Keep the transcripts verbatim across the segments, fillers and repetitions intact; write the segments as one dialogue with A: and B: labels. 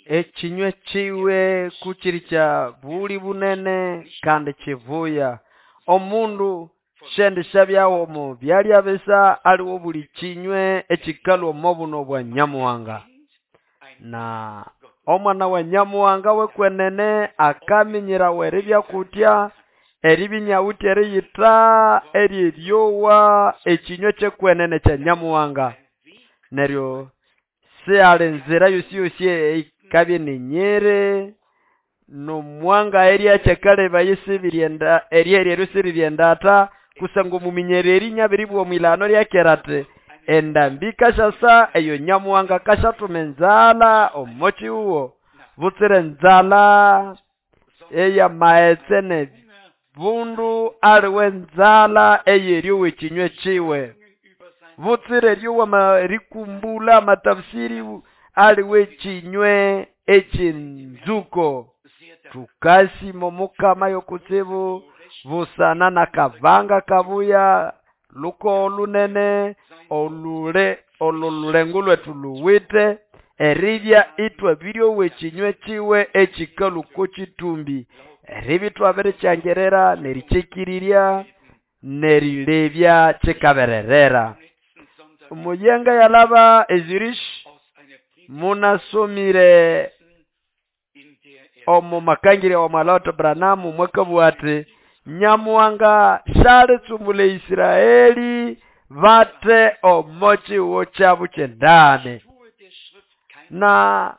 A: Ekinywe kiwe kukiri kya buli bunene kandi kivuya. Omundu shendishabyawo omo byalya bisa aliwo buli kinywe ekikalwa omo buno bwa Nyamuhanga. Na omwana wa Nyamuhanga wekwenene akaminyirawa eribya kutya eribinyawuthi eriyitha eryeryowa ekinywe kyekwenene kya Nyamuhanga. Neryo sihali nzira yosi yosi eyikabya ninyiri nomwanga eryakyakale bayisibiryenda eryeryo siriryendata kusangwa omuminyereri nyabiribwa omwilano ryakera ati endambi kashasa eyo Nyamuhanga kashathuma enzalha omo kihuho butsira enzalha eyamaghetse nebundu aliwe enzalha eyeryowa ekinywe kiwe butsira eryowa erikumbula amatafsiri aliwe ekinywe eky'enzuko. Tukasima Omukama yokutsibu busana nakabanga kabuya luko olunene olule olululengo lwethu luwite eribya itwabiryowa ekinywe kiwe ekikalwa oko kitumbi eribya ithwabirikyangirira nerikyikirirya nerilebya kikabererera. Omuyenga yalaba eZurich munasomire omu makangirya wa Mwalota Branham mwakabugha ati Nyamuhanga syalitsumula Israeli bate omo kihuho kyabo kyendani. Na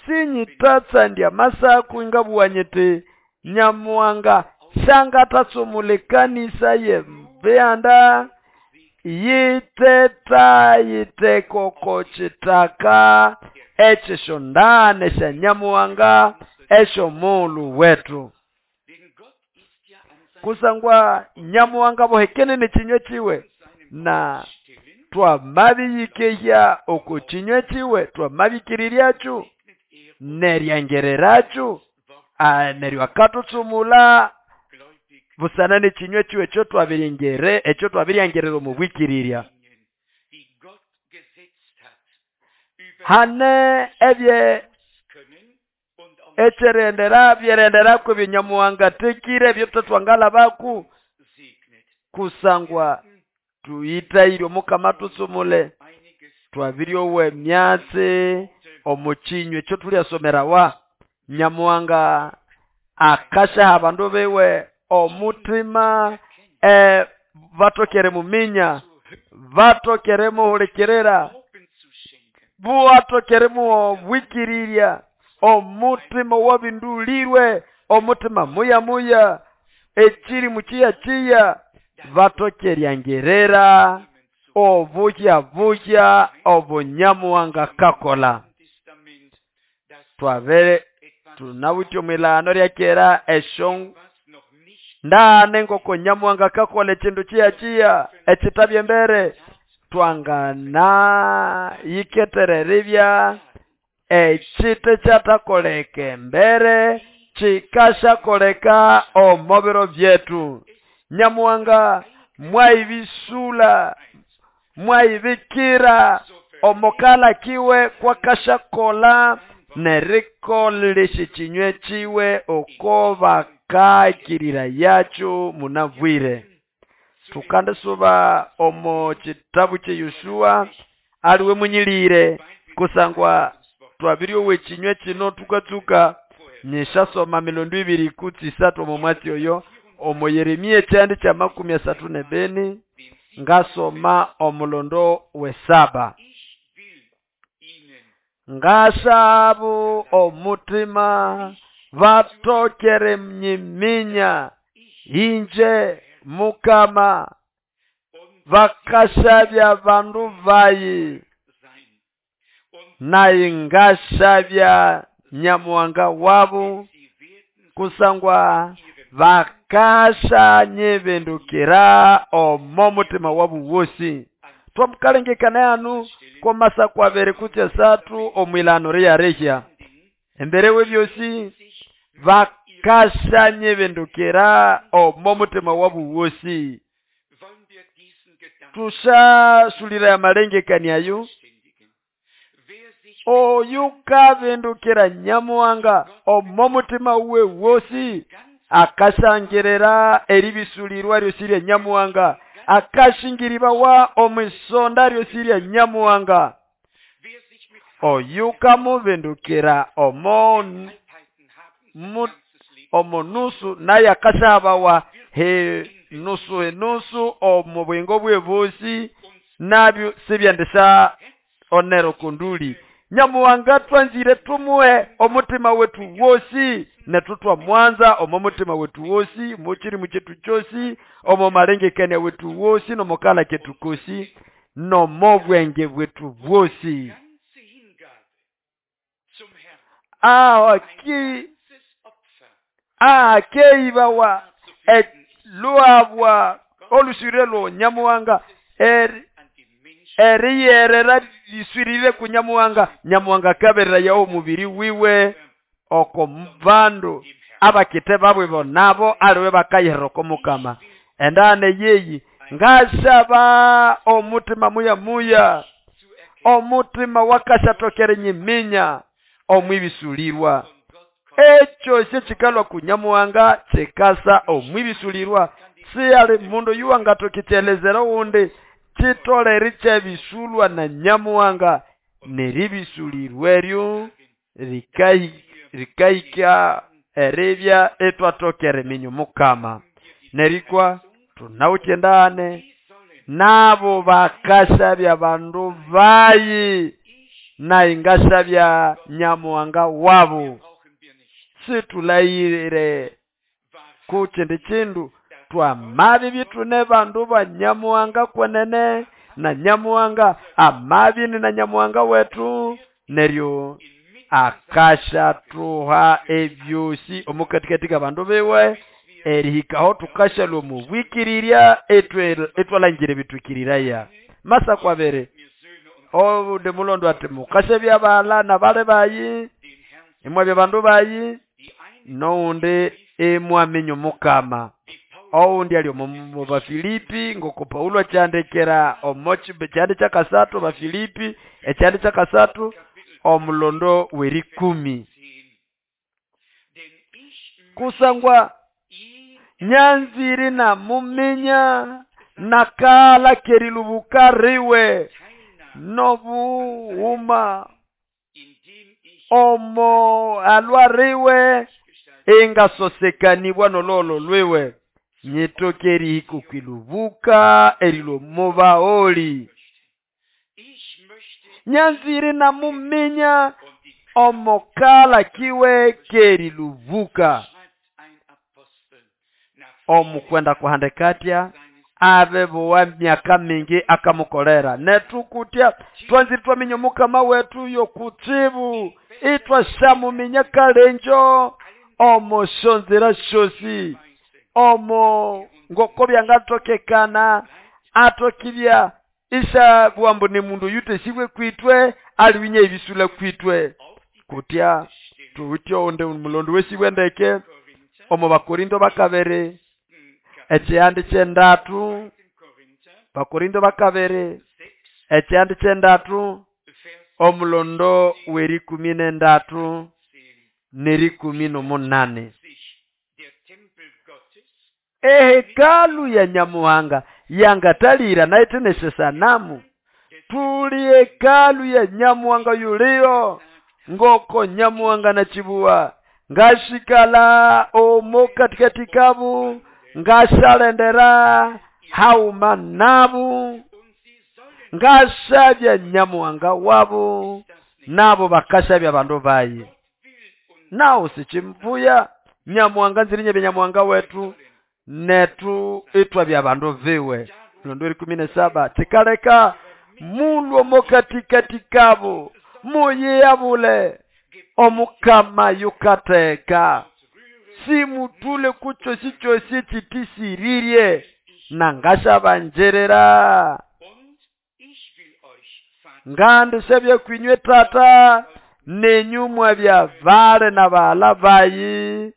A: sinyithatsandya amasaku ingabugha nyiti Nyamuhanga syangathatsumula ekanisa y'ebihanda yiteta yiteka oko kithaka eky'esyondane sya Nyamuhanga esy'omughulhu wetu. Kusangwa Nyamuhanga bohekene n'ekinywe kiwe na twamabiyikehya oko kinywe kiwe twamabikiriryacho neryangereracho neryo akathutsumula busana n'ekinywe kiwe ekyo twabiringere ekyo twabiryangerera omu bwikirirya. Hane ebye ekyerendera byerenderako ebyo tekire ebyo twangalabaku kusangwa tuyitayire Omukama tutsumule twabiryowa emyatsi omu kinywe ekyo tulyasomerawa. Nyamuhanga akashaha abandu biwe omutima e, batokere muminya batokere muhulikirira buwatokere muobwikirirya omutima wabindulirwe omutima muya muya ekiri mukiya kiya batokeryangerera obuhya buhya obunyamuhanga kakola. Twabere tunawithe omwilano ryakera esyo ndane ngoko Nyamuhanga kakola ekindu kiya kiya ekitabya embere twangana yiketereribya ekite kyathakoleka embere kikashakoleka omo biro byetu. Nyamuhanga mwayibisula mwayibikira omokala kiwe kwakashakola nerikolesha ekinywe kiwe oko bakakirira yacho munabwire. Tukandisuba omo kitabu kye Yoshua aliwe munyilire kusangwa twabiryowa ekinywe kino tukatsuka nyishasoma milondo ibiri kutsi isathu omo mwatsi oyo omo Yeremia ekyandi kya makumi asathu nebeni ngasoma omulondo wesaba. Ngashabu omutima batokere mnyiminya inje Mukama bakashabya bandu bayi naye ngashabya Nyamuhanga wabu kusangwa bakasha nyibindukira omo mutima wabu wosi. Twamukalengekana yanu komasa kwabere kutya satu omwilano ryarehya embere webyosi bakasha nyibindukira omo mutima wabu wosi. Tusasulira amalengekania ayo. Oyu kabindukira Nyamuhanga omo mutima uwe wosi akasangirira eribisulirwa ryosi rya Nyamuhanga, akashingiribawa omwisonda ryosi rya Nyamuhanga. Oyu kamubindukira omo omo nusu naye akashabawa he nusu henusu omo bwingo bwe bosi nabyo sibyendesa onero kunduli. Nyamuhanga twanzire tumuhe omutima wetu wosi netu twamwanza omo mutima wetu wosi muchirimu chetu chosi omo malengekania wetu wosi nomokala ketu kosi nomo bwenge bwetu bwosi. Aho ki akeibawa eluabwa olusirelo Nyamuhanga eri eriyerera liswirire ku Nyamuhanga. Nyamuhanga kaberera yawo mubiri wiwe oko bandu abakite babwe bonabo aliwe bakayihera oko Mukama. Endane yeyi ngasaba omutima muya muya omutima wakashatokere nyiminya omwibisulirwa. Ekyo syekikalwa ku Nyamuhanga kikasa omwibisulirwa. Siyali mundu yuwangatokitelezera wundi chitoleri kyebisulwa na Nyamuhanga neribisulirwa eryo rikaika eribya etwatokere minyo Mukama. Nerikwa tunawuthendane nabo bakasabya bandu bayi na ingasabya Nyamuhanga wabo. Situlayire kuchindi chindu twamabi bitune bandu ba Nyamuhanga kwenene na Nyamuhanga amabini na Nyamuhanga wetu neryo akashatuha ebyosi omukatikati bandu biwe erihikaho tukashalwa mubwikirirya etwalangire bitwikiriraya. Masa kwabere obude mulondo ati mukasebya bala na bale bayi imwabya bandu bayi noundi imwamenyo Mukama. Oundi ali omu Bafilipi ngoko Paulo achandekera omo kyandi kyakasatu Bafilipi ekyandi kyakasatu omulondo werikumi. Kusangwa nyanziri na muminya nakala kerilubuka riwe nobuuma omo alwariwe engasosekanibwa nololo lwiwe nyitokeri ikukwilubuka erilo mubaoli. Nyanziri na muminya omokala kiwe kerilubuka. Omukwenda kuhandekatya abe bowa myaka mingi akamukolera netukutya twanziri twaminya Mukama wetu yokutsibu itwashamuminya kalenjo omo shonzera shosi omo ngoko byangatokekana atokibya isha bwambu ni mundu yutesibwe kwitwe aliwinya ebisula kwitwe kutya tuwutyo onde mulondo wesibwe ndeke omo Bakorinto bakabere ekyandi kyendatu Bakorinto bakabere ekyandi kyendatu omulondo werikumi nendatu nerikumi nomunane. Ehekalu ya Nyamuhanga yangatalira naiteneshe sanamu. Tuli hekalu ya Nyamuhanga yulio ngoko Nyamuhanga na chibuwa ngashikala omo katikati kabu ngashalendera hauma nabu ngashabya Nyamuhanga wabu nabo bakashabya bandu bayi. Nawo sichimvuya Nyamuhanga nzirinye Nyamuhanga wetu netu itwa bya bandu viwe. Mlondo ikumi na saba tikaleka mulwo mokatikati kabo muyeyabule omukama yukateka simutule kuchosi chosi chitisiririe nangashabanjerera ngandi sebye kwinywe tata nenyumwa bya vale na bala bayi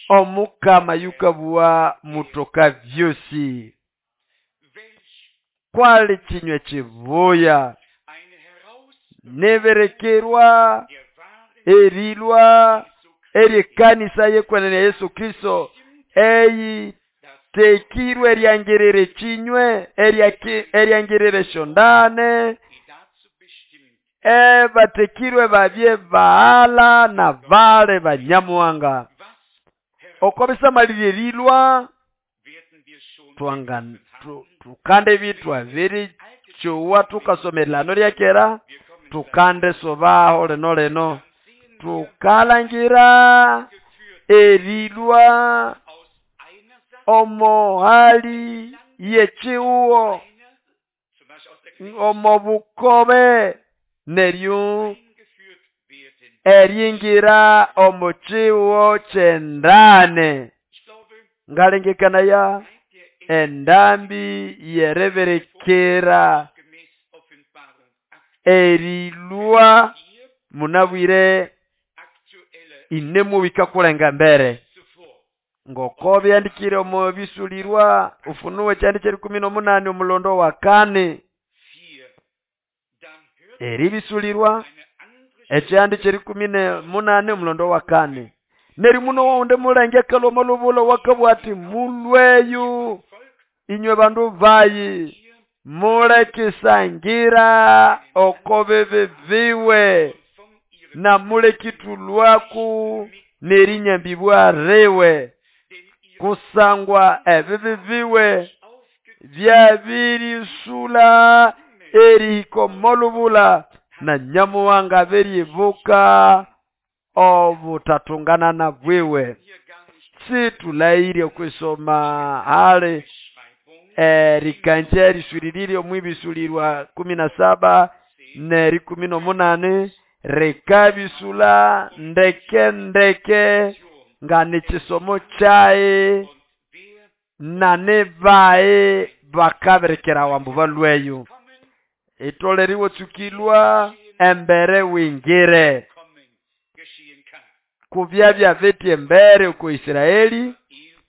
A: omukama yukabua mutoka vyosi. Kwali chinywe chibuya nibirekirwa erilwa eryekanisa yekwenene Yesu Kristo eyi tekirwe eryangirire chinywe eryangirire shondane ebatekirwe babye baala na bale banyamuhanga okobisamalirye erilwa twanga tukande bitwa biri chowa tukasomelano lyakera tukande sobaho leno leno tukalangira erilwa omohali yechiuo omobukobe neryo eringira omuchiuo chendane ngalengekana ya endambi yereberekera erilwa munabwire inemubika kulenga mbere ngoko byandikire omu bisulirwa Ufunuo kyandi kyerikumi n'omunani omulondo wa kane eribisulirwa ekyandi kyerikumi n'omunani omulondo wa kane neri muno waundi mulenge kaloma lubulo wakabwa ati mulweyu inywe bandu bayi mulekisangira oko bibi biwe na mulekitulwaku nerinyambibwa riwe kusangwa ebibi biwe byabirisula erihika molubula na nyamuhanga beribuka obutatungana bwiwe situlaire okwisoma hali erikanja erisuririre omwibisulirwa kumi na saba neri kumi n'omunani rikabisula ndeke ndeke nga nikisomo kyayi na nibayi bakaberekera wambu balweyo itoleriwe tsukilwa embere wingire kubyabya betya embere ku Israeli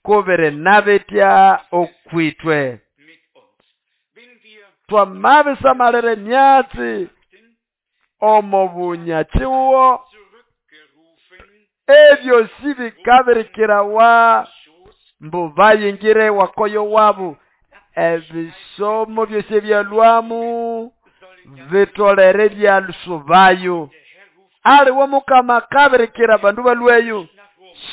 A: kubere nabetya okwitwe twamabisamalire myatsi omo bunyachiwo ebyo sibikaberekerawa mbu bayingire wakoyo wabu ebisomo byosi ebyalwamu bitolere byalusubayo aliwo mukama kaberekera abandu balweyo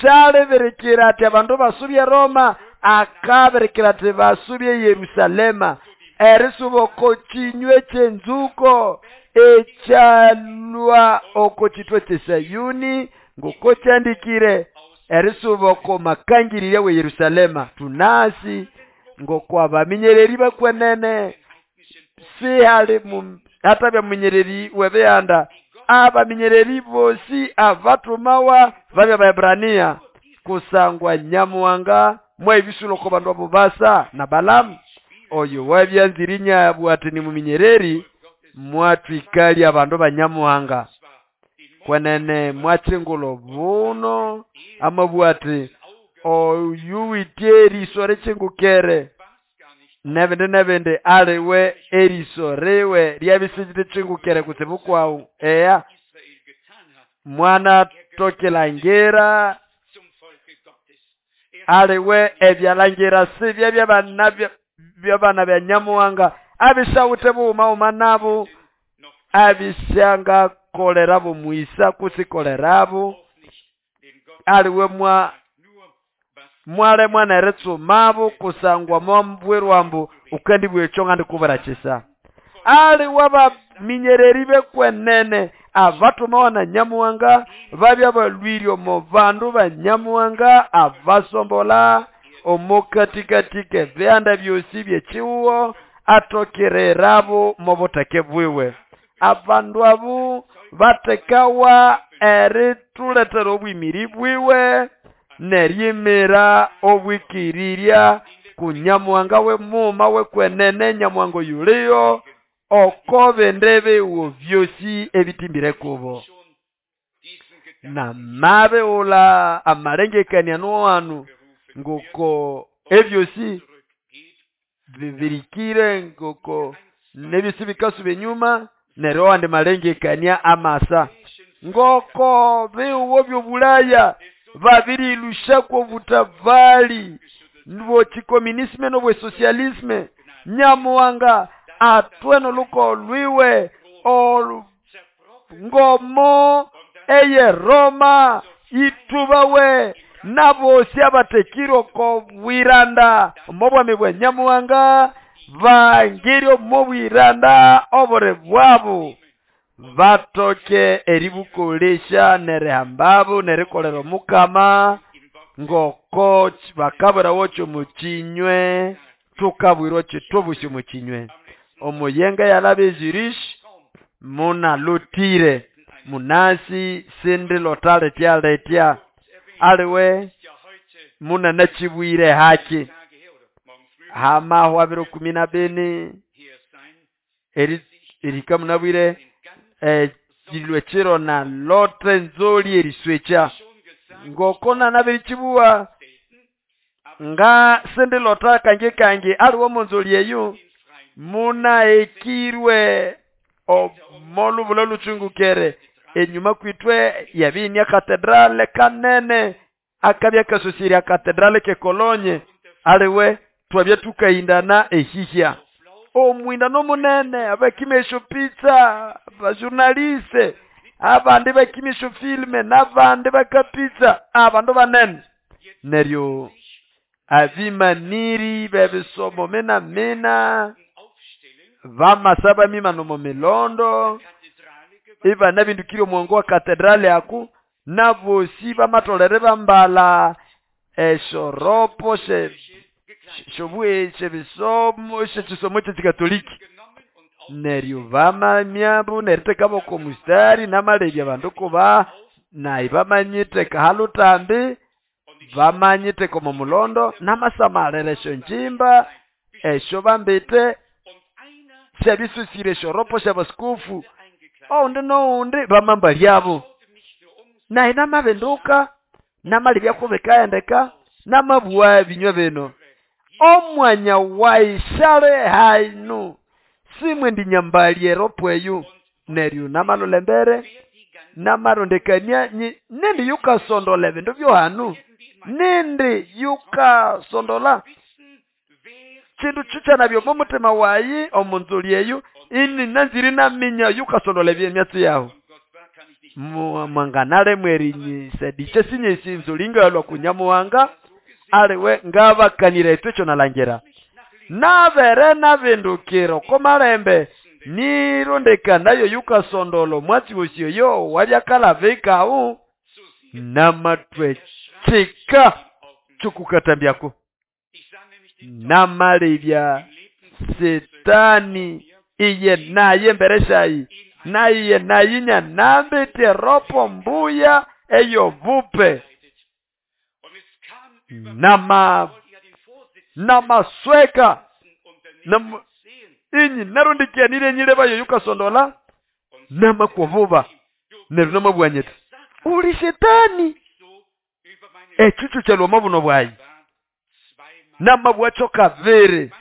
A: shaliberekera ati abandu basubye Roma akaberekera ati basubye Yerusalema erisuba oko chinywe kyenzuko ekyalwa oko chitwe kyesayuni ngoko kyandikire erisuba oko makangirire we Yerusalema tunasi ngoko abaminyereri bakwenene sihali hata byamunyereri webeyanda abaminyereri bosi abatumawa babya Baebrania kusangwa nyamuhanga mwebisulo ko bandu abo basa na Balamu oyo wabyanzirinya bwati ni muminyereri mwatwikali abandu banyamuhanga kwenene mwachingulo buno amabwati oyu witye eriso richingukere nebindi nebindi aliwe eriso riwe ryabisijite chingukere kutsibu kwawu eya mwana tokilangira aliwe ebyalangira sibya byabana byabana bya nyamuhanga abisawute buuma uma nabo abishanga kolerabo muisa kusikolerabo aliwe mwa mwale mwana eritsumabo kusangwa mwambwirwambu ukendi bwecho ngandi kubarakisa ali wabaminyereri bekwenene abatuma na nyamuhanga babya balwiryo mu bandu ba nyamuhanga abasombola omukatikatike byanda byosi byechiwo atokererabo mu buteke bwiwe abandu abo batekawa erituletera obwimiri bwiwe neryimira obwikirirya ku nyamuhanga we muma wekwenene nyamuhanga yuliyo oko bende biwo byosi ebitimbire kubo namabe ula amalengekania noanu ngoko ebyosi bibirikire ngoko nebisi bikasuba enyuma neryo awandi malengekania amasa ngoko bihugo by'obulaya babirilushako obutafali bw'ekikomunisme n'obwesosialisme. Nyamuhanga atwe n'olukogo lwiwe olu ngomo eye Roma itubawe n'abosi abatekire oko bwiranda omo bwami bwa Nyamuhanga bangire omo bwiranda obuli bwabo batoke eribukolesya nerihambabo nerikolera omukama ngoko bakabwirawo kyomukinywe tukabwirwa kitobusi omukinywe. Omuyenga yalaba e Zurich munalotire munasi sindilota litya litya aliwe munanakibwire haki hamahwa biro kumi na bini eri erika munabwire ekilwe kiro na lote nzoli eriswekya ngoko nanabirikibuwa nga sindilota kange kange aliwo omunzoli eyo munaekirwe omolubula luchungukere enyuma kwitwe yabinia katedrale kanene akabya kasosiria katedrale ke Kolonye aliwe twabya tukaindana ehihya omwindano munene abakimesho pizza abajournaliste abandi bakimesho filme n'abandi bakapizza abandu banene neryo abimaniri bebisomo mena mena bamasaba mimano mu milondo ibana bindukire omwongo wa katedrale aku nabosi bamatolere bambala eshoropo she shobwe shebisomo shekisomo ky'ekikatoliki neryo bamamyabo neritekabo ko mustari namalebya abandu kuba nayi bamanyite kahalutambi bamanyite komo mulondo namasamalere esyo njimba esyo bambite syabisusire eshoropo syabasikofu oundi noundi bamambalyabo nayi namabinduka namalebya kubikaendeka namabugha ebinywa bino omwanya waishale hainu simwe ndinyambali eropo eyo neryo namalola embere namarondekania nindi yukasondola ebindu byohanu nindi yukasondola kindu kikyanabyo omu mutima wayi omunzoli eyo ini nanziri naminya yukasondola ebyemyatsi yahu mwanganale mwerinyisadikye sinyesi nzoli ngalwa kunyamuhanga aliwe ngabakanira ethu ekyo nalangira nabere nabindukira oko malembe nirondekanayo yukasondola omwatsi wosi oyo wabyakalabikawu namatwe kika kyokukathambyako namalebya setani iye naye embere syayi naye nayinya nambite ropo mbuya eyobupe nama namasweka nam inyi narundikianire nyilebayo yukasondola namakuvuba neryo namabwanyete uli shetani ekyukyu kyalwa buno bwayi namabwakyo kabiri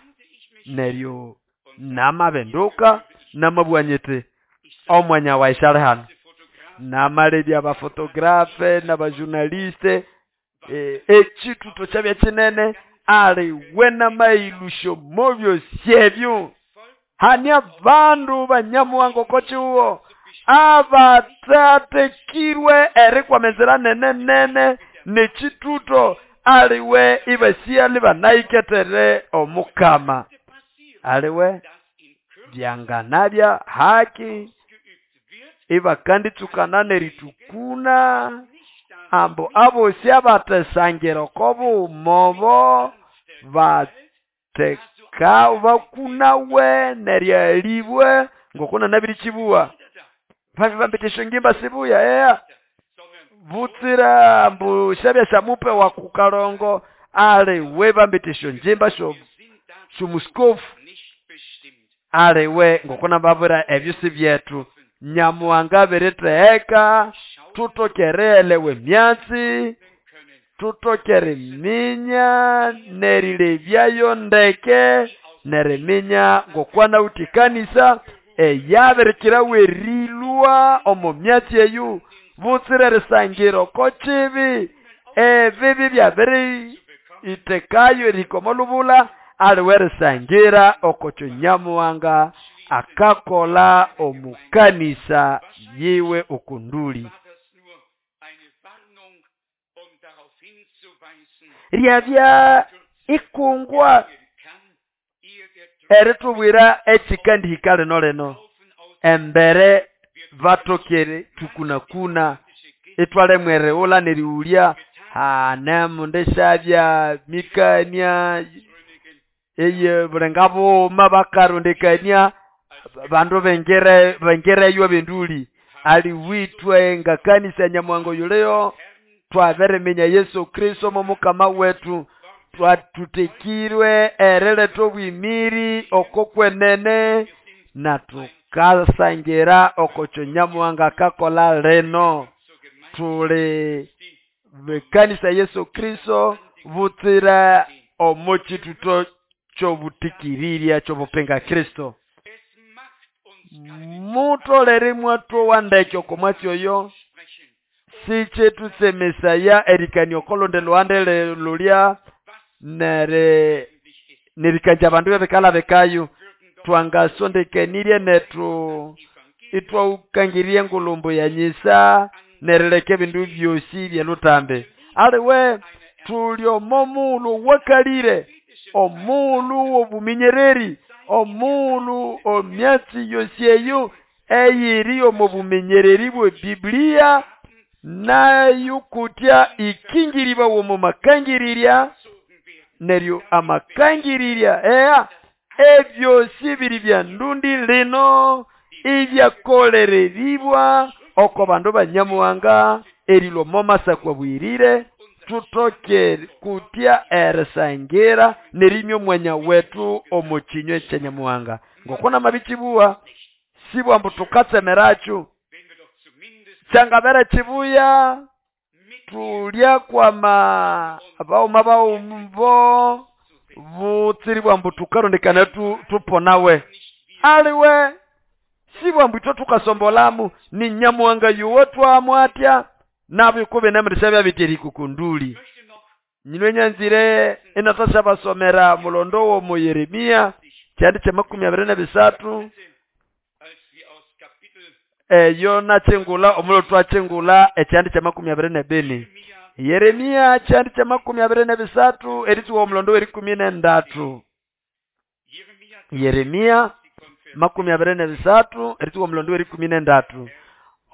A: neryo namabenduka namabwanyete omwanya waishale hano namalebya abafotografe n'abajournaliste ekituto kyabya kinene ali we namailusho mubyosi ebyo hani abandu banyamuhanga oko kihugo abatatekirwe erikwama enzira nene nene nekituto aliwe ibasiali banaiketere omukama aliwe byanganabya haki ibakanditsukana neritukuna ambu abosi abatesangira oko bumobo bateka bakunawe neryalibwe ngokuna nabirikibuwa babi bambite eshongimba sibuya eya butsira ambu syabya syamupe wa kukalongo aliwe bambite eshonjimba syo syomusikofu aliwe ngokuna babwira ebyo si byethu Nyamuhanga abiritheheka tutokere elewa emyatsi tutokere eminya nerilebyayo ndeke Neriminya ngokwana uti kanisa eyabirikirawa erilwa omo myatsi eyu butsira erisangira oko kibi ebibi byabiri itekayo erihika omo lubula aliwe erisangira okokyo Nyamuhanga akakola omukanisa yiwe okunduli. Ryabya ikungwa eritubwira ekikandihika lino lino embere batokere tukunakuna itwalemwa erighula nerighulya anemundishabya mikania eye bulenga bughuma bakarondekania bandu bengire bengireyo abenduli aliwitwe nga kanisa Nyamuhanga oyuliyo twabiriminya Yesu Kristo momukama wetu twatutekirwe eriletha obwimiri oko kwenene na tukasangira okokyo Nyamuhanga akakola lino tuli bekanisa Yesu Kristo butsira omo kituto ky'obutikiriria ky'obupinga Kristo. Mutolere mwathowa ndeke oko mwatsi oyo sikyetutsemesaya erikania okolundi luhande lulya nere nerikanja abandu bebikalha bikayo twangasondekanirye nethu itwaukangirirye engulumbu ya nyisa nerileka ebindu byosi byelutambi aliwe tuli omo mughulhu wakalire omughulhu w'obuminyereri omughulhu omyatsi yosi eyo eyiri omo buminyereri bwe Biblia nayo kutya ikingiribawa omo makangirirya neryo amakangirirya eya ebyosi biri bya ndundi lino ibyakolereribwa oko bandu ba Nyamuhanga erilwa omo masakwa bwirire tutoke kutya erisangira nerimya omwanya wetu omo kinywe kya Nyamuhanga ngokuna mabikibuwa sibwa mbu tukatsemerakyo kyangabere kibuya tulya kwama abauma baumbo butsiribwa mbu tukarondekana tu, tuponawe aliwe sibwa mbu itwe tukasombolamu ni Nyamuhanga yuwe twamwatya nabyo nemurisha byabiteri kukunduli nyinwe nyanzire inatasha basomera mulondo wo mu Yeremia kyandi kya makumi abiri na bisatu eyo nachingula omulo twachingula ekyandi kya makumi abiri na bini Yeremia kyandi kya makumi abiri na bisatu eritsuwa omulondo w'erikumi n'endatu Yeremia makumi abiri na bisatu eritsuwa omulondo w'erikumi n'endatu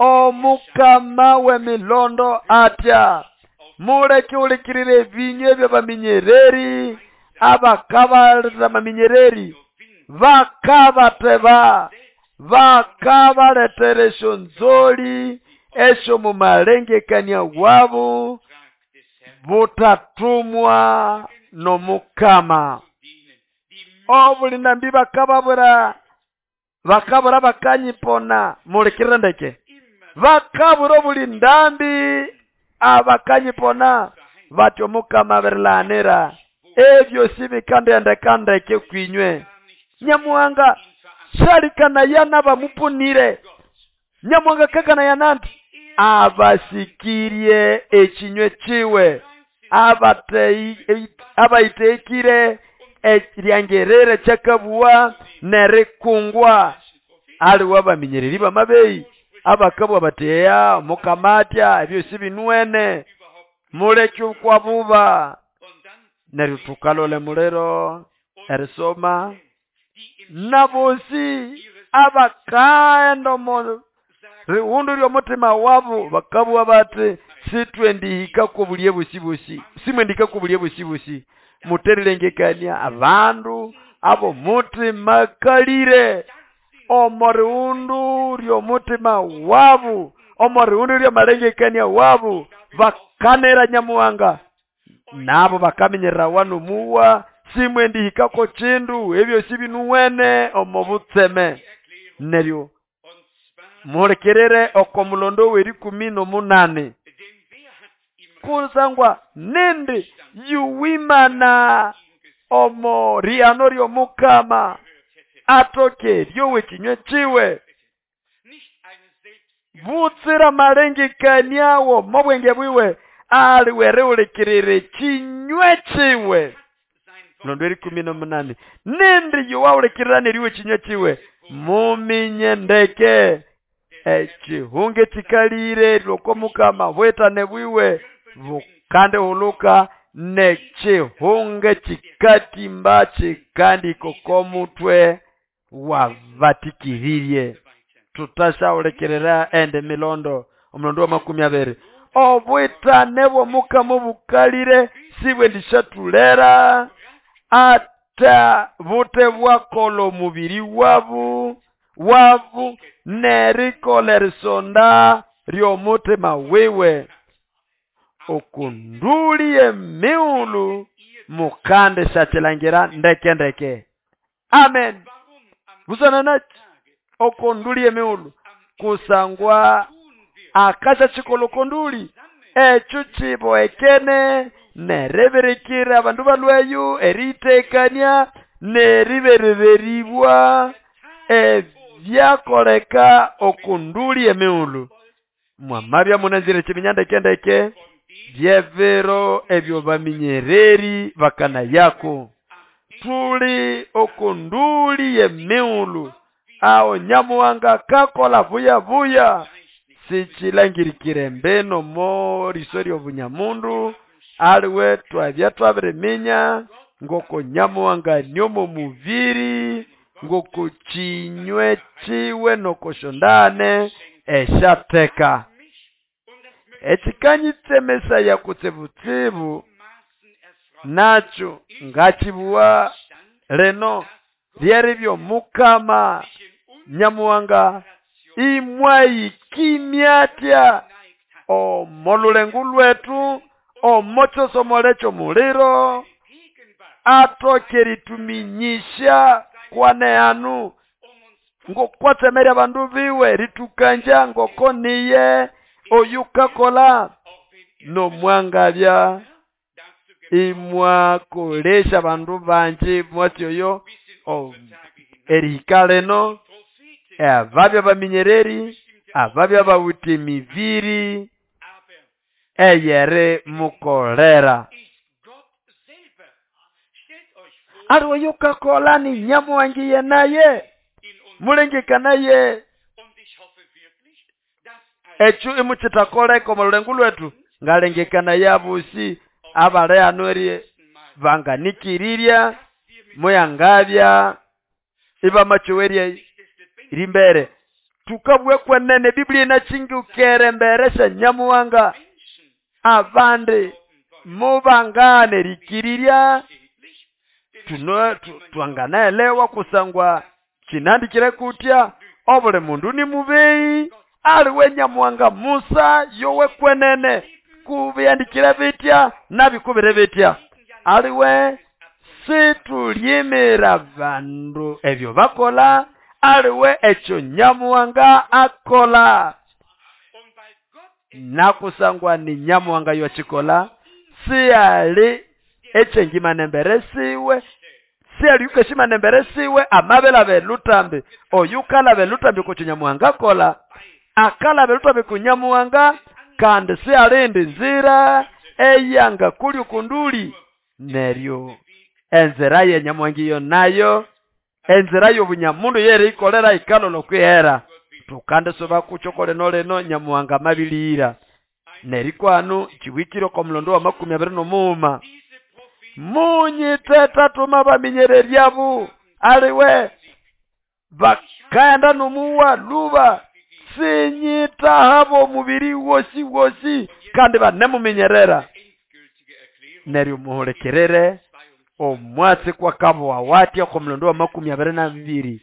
A: Omukama w'emilondo atya muleke ulikirire ebinywa eby'abaminyereri abakabalira amaminyereri bakabateba bakabaletera esyonzoli esyo mumalengekania wabo butatumwa n'Omukama obulinambi bakababura bakabura bakanyipona mulikirire ndeke bakabura obulindambi abakanyipona batyo Omukama abirilanira ebyo sibikandendekandeke kwinywe Nyamuhanga shalikana n'abamupunire Nyamuhanga kakana yananti abasikirie ekinywe kiwe abayitekire eryangerere kyakabuwa nerikungwa aliwe abaminyereri bamabeyi abakabwa bateya Mukama atya ebyo sibinuwene muleke okwabuba neryo tukalole muliro erisoma nabosi abakaenda omo riwundu ly'omutima wabo bakabugha bati sitwendihika kobulye bosi bosi simwendihika kobulye bosi bosi muterilengekania abandu abo mutima kalire omo riwundu ly'omutima wabo omo riwundu ly'amalengekania wabo bakanera Nyamuhanga nabo bakamenyerera wano muwa simwendihikako kindu ebyo sibinuwene omo butseme neryo mulekerere oko mulondo w'erikumi n'omunani kusangwa nindi yuwimana Omo riano ry'omukama atoke ryowe kinywe kiwe butsira malengekaniawo mobwenge bwiwe aliwereulikirire kinywe kiwe londo erikumi n'omunani nindi yowaulikirira neriwe kinywe kiwe muminye ndeke ekihunge kikalire loko mukama bwetane bwiwe bukandihuluka nekihunge kikatimba kikandiko komutwe wabatikiririe tutashaulikirira ende milondo omulondo wa makumi abiri obwitane bw'omukama obukalire sibwe ndishatulera ata bute bwakola omubiri wabu wabu nerikola erisonda ry'omutima wiwe okundulie miulu mukande shachilangira ndeke ndeke amen busana nachi okundulie miulu kusangwa akasha chikolo konduli ekyo kiboekene nereberekera abandu balweyo eritekania neribereribwa ebyakoleka okunduli emiulu mwamabya munanzire kiminya ndeke ndeke byevero ebyo baminyereri bakana yako tuli okunduli emiulu awo nyamuwanga kakola vuya vuya sichilangirikire mbeno mo risori obunyamundu aliwe twabya twabiriminya ngoko nyamuwanga nyomo muviri ngoko kinywe kiwe nokoshondane eshateka ekikanyitsemesa ya kutsibutsibu nacho ngachibuwa leno lyeribyo mukama nyamuwanga imwayikimyatya omolulengu lwetu omochosomolecho muliro atoke rituminyisha kwane anu ngokwatsemerya abandu biwe ritukanja ngoko niye oyukakola nomwangabya imwakolesha abandu banji mwatsi oyo erihika leno ababya baminyereri ababya bawithe emibiri eyeri mukolera aliwe yukakola ni nyamuwangiye naye mulengekanaye ekyo imuchitakoleka omu lulengu lwetu ngalengekana yabusi abale anu eri banganikirirya muyangabya ibamachowerya rimbere tukabwe kwenene Biblia inachingukere mbere sha nyamuwanga abandi mubangane rikirirya tuno twanganaelewa kusangwa chinandikire kutya obuli mundu ni mubeyi aliwe nyamuwanga Musa yowe kwenene kubiyandikire bitya nabikubire bitya aliwe situlyimira bandu ebyo bakola aliwe ekyo nyamuwanga akola nakusangwa ni nyamuwanga yochikola siyali echengimane mbere siwe siyali yukeshimane mbere siwe amabela belutambi oyukala belutambi kucho nyamuwanga akola akala belutambi kunyamuwanga kandi siyalindi nzira eyanga kuli kunduli neryo enzira ye nyamuwanga iyo nayo enzira y'obunyamundu yeri ikolera ikalolo kwihera tukande soba kuchokole noleno nyamuwanga mabilira nerikwanu chiwikiro kwa mulondo wa makumi abiri n'omuuma munyiteta tuma baminyereryabu aliwe bakaenda numuwa luba sinyitahabo omubiri wosi wosi kandi banemuminyerera neryo muhulekerere omwatsi kwakabowa watya kwa mulondo wa makumi abiri na bibiri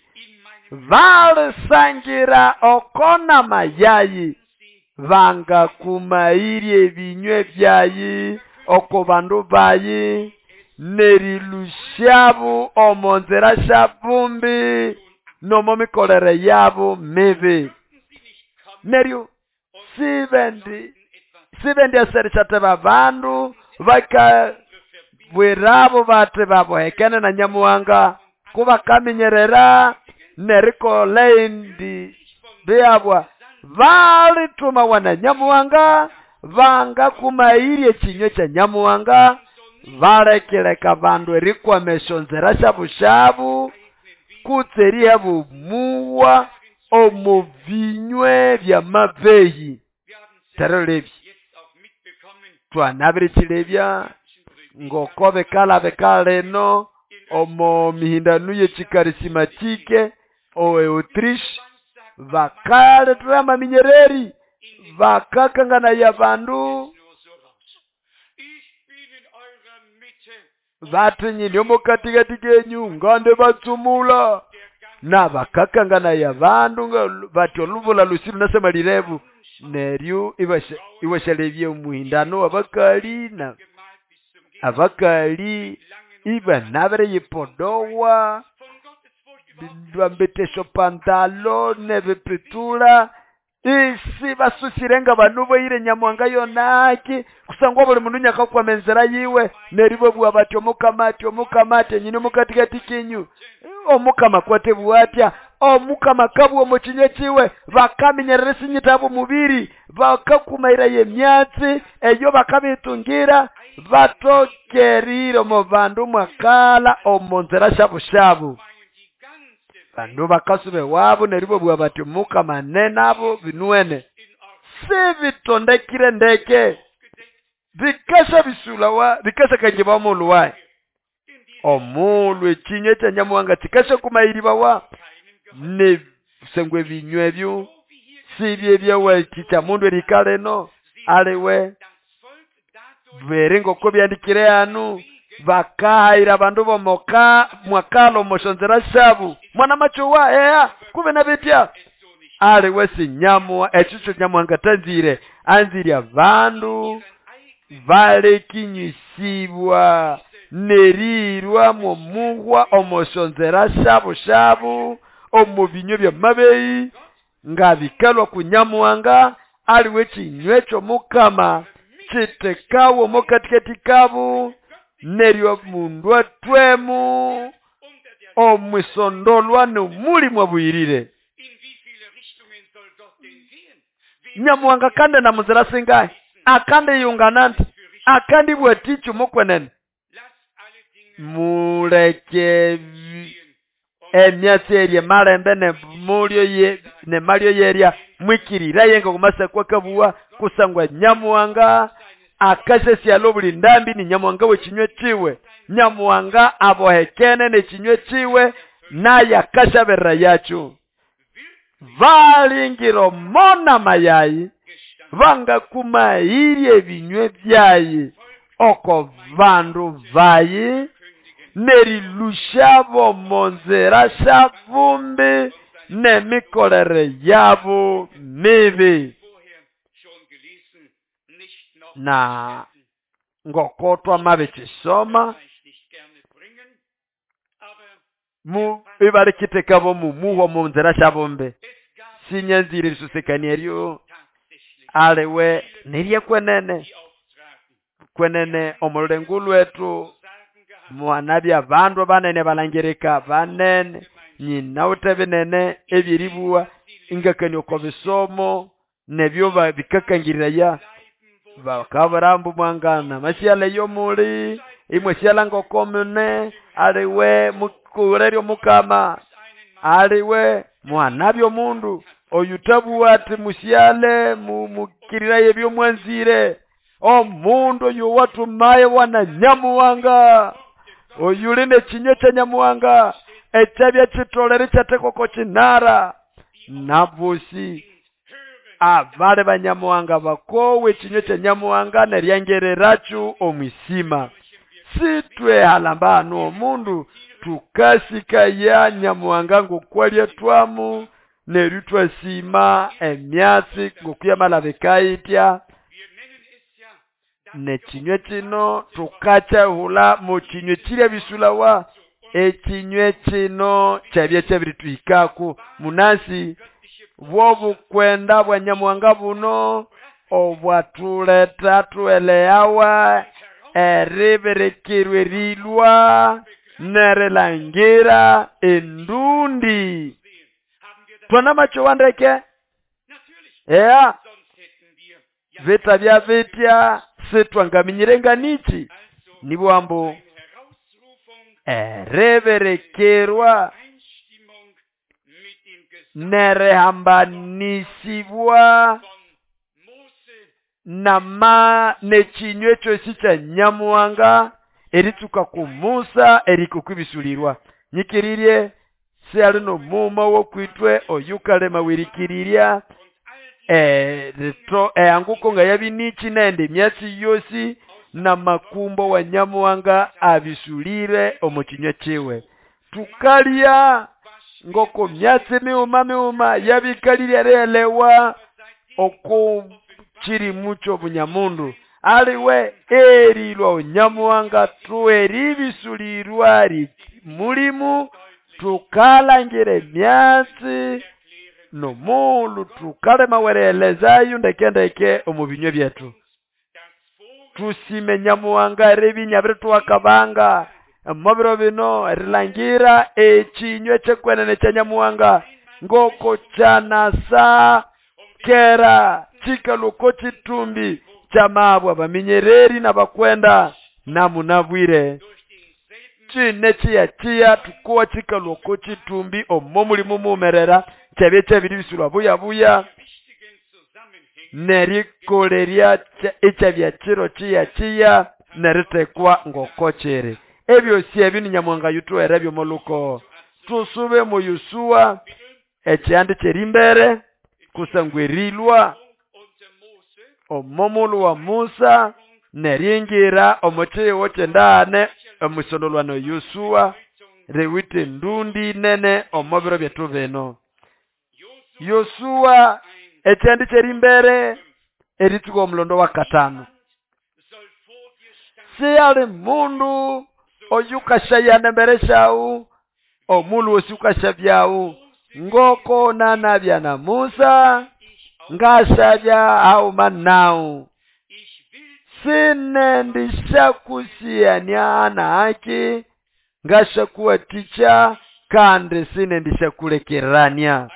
A: balisangira okona mayayi bangakumairye ebinywe byayi oko bandu bayi nerilusyabu omo nzira syabumbi nomo mikolere yabu mibi neryo sibendi sibendi aserishateba bandu baka Bwirabo bati babohekene na Nyamuhanga kubakaminyerera nerikola indi byabwa balitumawa na Nyamuhanga bangakumairye ekinywe kya Nyamuhanga balekileka bandu erikwama esyonzira syabushabu kutse erihebumuwa omu binywe byamabehi. Terolebye twanabirikilebya ngoko bikala bikalino omo mihindano y'ekikarisimatike owe Autriche bakalethera amaminyereri bakakanganaya bandu bati nyine omukatikati kenyu ngande batsumula na bakakanganaya bandu bati olubula lusi lunasamalirebu neryo iwashalebya omuhindano wabakali na abakali ibanabere yipodowa bambetesho pantalo nebipitula isi basusirenga banu boyire Nyamuhanga yonaki kusangwa buli mundu nyakakwama enzira yiwe neryo bwa bati omukama ati omukama ati nyine omukatikati kenyu omukama kwatebwa atya omukama kabwa omukinywe kiwe bakaminyerera sinyitabo mubiri bakakumaira yemyatsi eyo bakabitungira batokerire omu bandu mwakala omu nzira syabushabu bandu bakasube wabo neryo bwa bati omukama nenabo binuene sibitondekire ndeke bikasha bisulawa bikasha kanjiba omulu wayi omulu ekinywe kya Nyamuhanga kikasha kumayiribawa ne sengwe binywe ebyo sibye byawatikya mundu erikaleno aliwe bere ngoko byandikire anu bakahayira abandu bomoka mwakalo moshonzera shabu mwana machowa eya kube nabetya aliwe sinyamwa ekyo Nyamuhanga tanzire anzire abandu balekinyisibwa nerirwa momuhwa omoshonzera shabu shabu omu binywe byamabeyi ngabikalwa ku Nyamuhanga aliwe kinywe ky'omukama kitekawo omukatikati kabu neryo mundu atwemu omwisondolwa nomulimu abuyirire. Nyamuhanga kande na muzira singahi akande yungana nti akandi bwaticho mukwenene muleke emyatsi erye malembe ne mulyo ye ne malyo yerya mwikirira yenga kumasakwa kabuwa kusangwa Nyamuhanga akasesialo buli ndambi ni Nyamuhanga wekinywe kiwe Nyamuhanga abohekene nekinywe kiwe naye akashaberera yacho valingiro mona mayayi vangakumairye ebinywe byayi oko vandu vayi nerilushabo monzera shavumbi nemikolere yabo mibi. Na ngoko twamabikisoma mu ibalikiteka mu muho mu nzira shabombe sinyanzire bisusekania eryo aliwe nirye kwenene kwenene omulengu lwetu mwanabya bandu banene balangirika banene nyina utebinene ebyeribuwa ingakani oko bisomo nebyo bikakangirira ya bakaburambu mwangana masiala yomuli imwe siala ngokomune aliwe mukureryo mukama aliwe mwanabyo mundu oyutabuwa ati musiale mumukirira ebyo mwanzire omundu oyo watumaye wana Nyamuhanga oyuli nekinywe kya Nyamuhanga ekyabya kitolere kyatekoko kinara nabosi abale banyamuhanga bakowe ekinywe kya Nyamuhanga neryangereracho omwisima sitwe halamba hano omundu tukasikaya Nyamuhanga ngokwalya twamu neryo twasima emyatsi ngokuyamala bikaitya nekinywe kino tukakyahula mu kinywe kirya bisulawa ekinywe kino kyabya kyabirituhikaku munasi bwobukwenda bwa Nyamuhanga buno obwatuleta tueleawa Eriberekerwa erilwa nerilangira endundi. Twanamachowa ndeke? Eya, vita bya vitya sitwangaminyire nganichi nibwambu eriberekerwa nerihambanisibwa nama nechinywe kyosi kya Nyamuhanga eritsuka ku Musa erikukubisulirwa. Nyikirirye siyali nomuma wokwitwe oyukalema wirikirirya erito eanguko nga yabinichi nende emyatsi yosi namakumbo wa Nyamuhanga abisulire omu kinywa kiwe. Tukalya ngoko myatsi miuma miuma yabikalirya erielewa oko kirimu ky'obunyamundu aliwe erilwa Onyamuhanga tueribisulirwa mulimu tukalangira emyatsi nomulu tukalema werelezayo ndeke ndeke omu binywa byetu. Tusime Nyamuhanga eribinya birituwakabanga omubiro bino erilangira ekinywa kyekwenene kya Nyamuhanga ngoko kyanasa kera chikaluko chitumbi kyamabwa baminyereri n'abakwenda namunabwire chine chiya chiya tukuwa chikaluko chitumbi omo mulimu mumerera kyabye kyabiribisulwa buya buya nerikolerya ekyabya kiro chiya chiya neritekwa ngoko kiri. Ebyosi ebyo ni Nyamuhanga yutuwere byomoluko. Tusube mu Yosuwa ekyandi kyerimbere kusangwa erilwa omomulu wa Musa neringira omukiwo kyendane omusondolwano Yosuwa riwite ndundi nene omubiro byetu bino. Yosuwa ekyandi kyerimbere eritsuka omulondo wa katano. Siyali mundu oyukashayana mbere shawu omulu osi ukashabyawu ngoko nanabya na Musa ngashabya auma nawu sinendishakusiyania na haki ngashakuwaticha kandi sinendishakulekerania.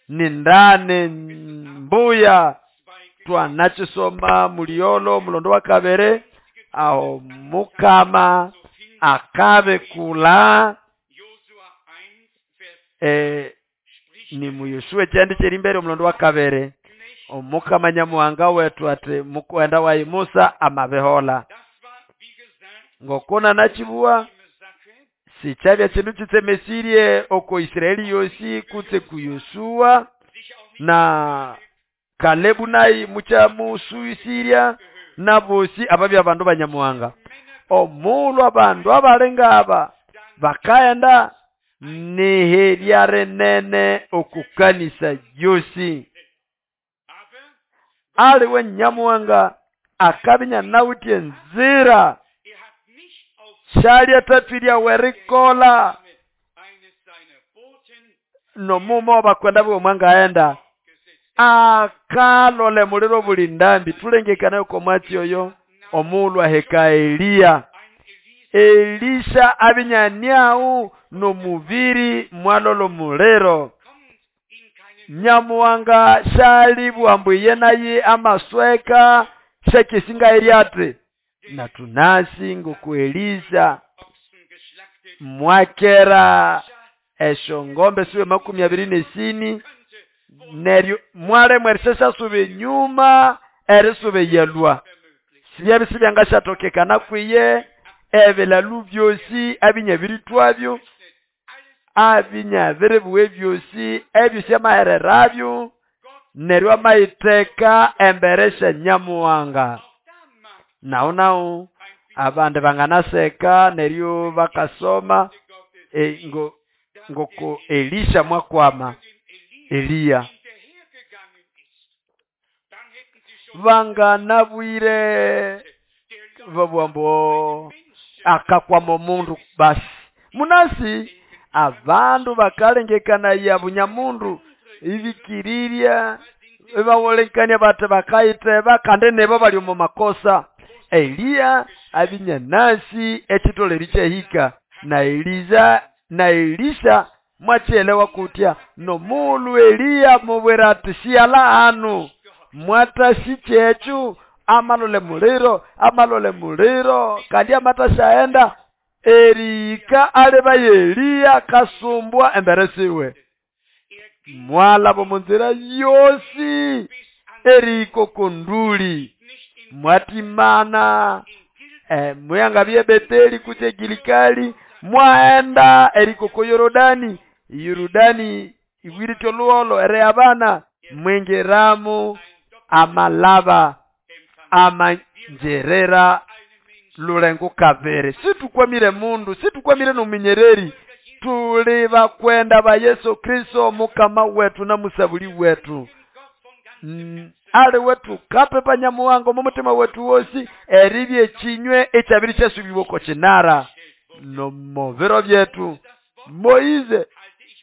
A: Nindane mbuya twanachisoma muliolo mulondo wa kabere aho mukama akabe kula e, ni mu Yosuwa kyandi kyerimbere omulondo wa kabere omukama Nyamuhanga wetu ati mukwenda wayi Musa amabehola ngokona nachibuwa sichabya chindu chitsemesirie oko Israeli yosi kutse ku Yosuwa na Kalebu nayi muchamusuisiria na bosi ababya abandu banyamuhanga omulwa abandu abalenga aba bakaenda niherya rinene okukanisa yosi. Aliwe Nyamuhanga akabinya nawitye nzira shalya tatwirya werikola nomumo bakwenda bwe mwangaenda akalole muliro buli ndambi tulengekana yuko mwatsi oyo omulwa heka Eliya. Elisha abinyaniau nomubiri mwalolo muliro. Nyamuhanga shali bwambuye naye amasweka shekisinga eriate na tunasi ngoku Elisha mwakera esho ngombe siwe makumi abiri nesini neryo mwale mwerisesa sube nyuma erisube yelwa sibya sibyangashatokekana kwiye ebelalu byosi abinyabiritwabyo abinyabirebuwe byosi ebyo amahererabyo neryo amayiteka emberesha Nyamuhanga. Nao nao abandi banganaseka neryo bakasoma e, ngo ngoko Elisha mwakwama Eliya banganabwire babwambo akakwama omundu basi munasi abandu bakalengekana ya bunyamundu ibikirirya ebawolekania bate bakayiteba kandi nebo bali omu makosa Eliya abinyanasi echitoleri chahika na Eliza na Elisha mwachielewa kutya nomulu Eliya mubwira ati siyala hanu mwatashi chechu amalole muliro amalole muliro kandi amatashaenda erika aleba Eliya kasumbwa emberesiwe mwala bomunzira yosi eriko kunduli mwatimana eh, muyangabye Beteli kutse Gilikali mwaenda eriko ko Yorodani Yorodani ibwirityo luolo ere abana mwingiramu amalaba amanjerera lulengo kavere situkwamire mundu situkwamire nominyereri tuli bakwenda ba Yesu Kristo mukama wetu na musabuli wetu mm, ali wetu kapepa nyamuwango mumutima wetu wosi eribye chinywe echabiri chasubibwako chinara nomovero byetu Moize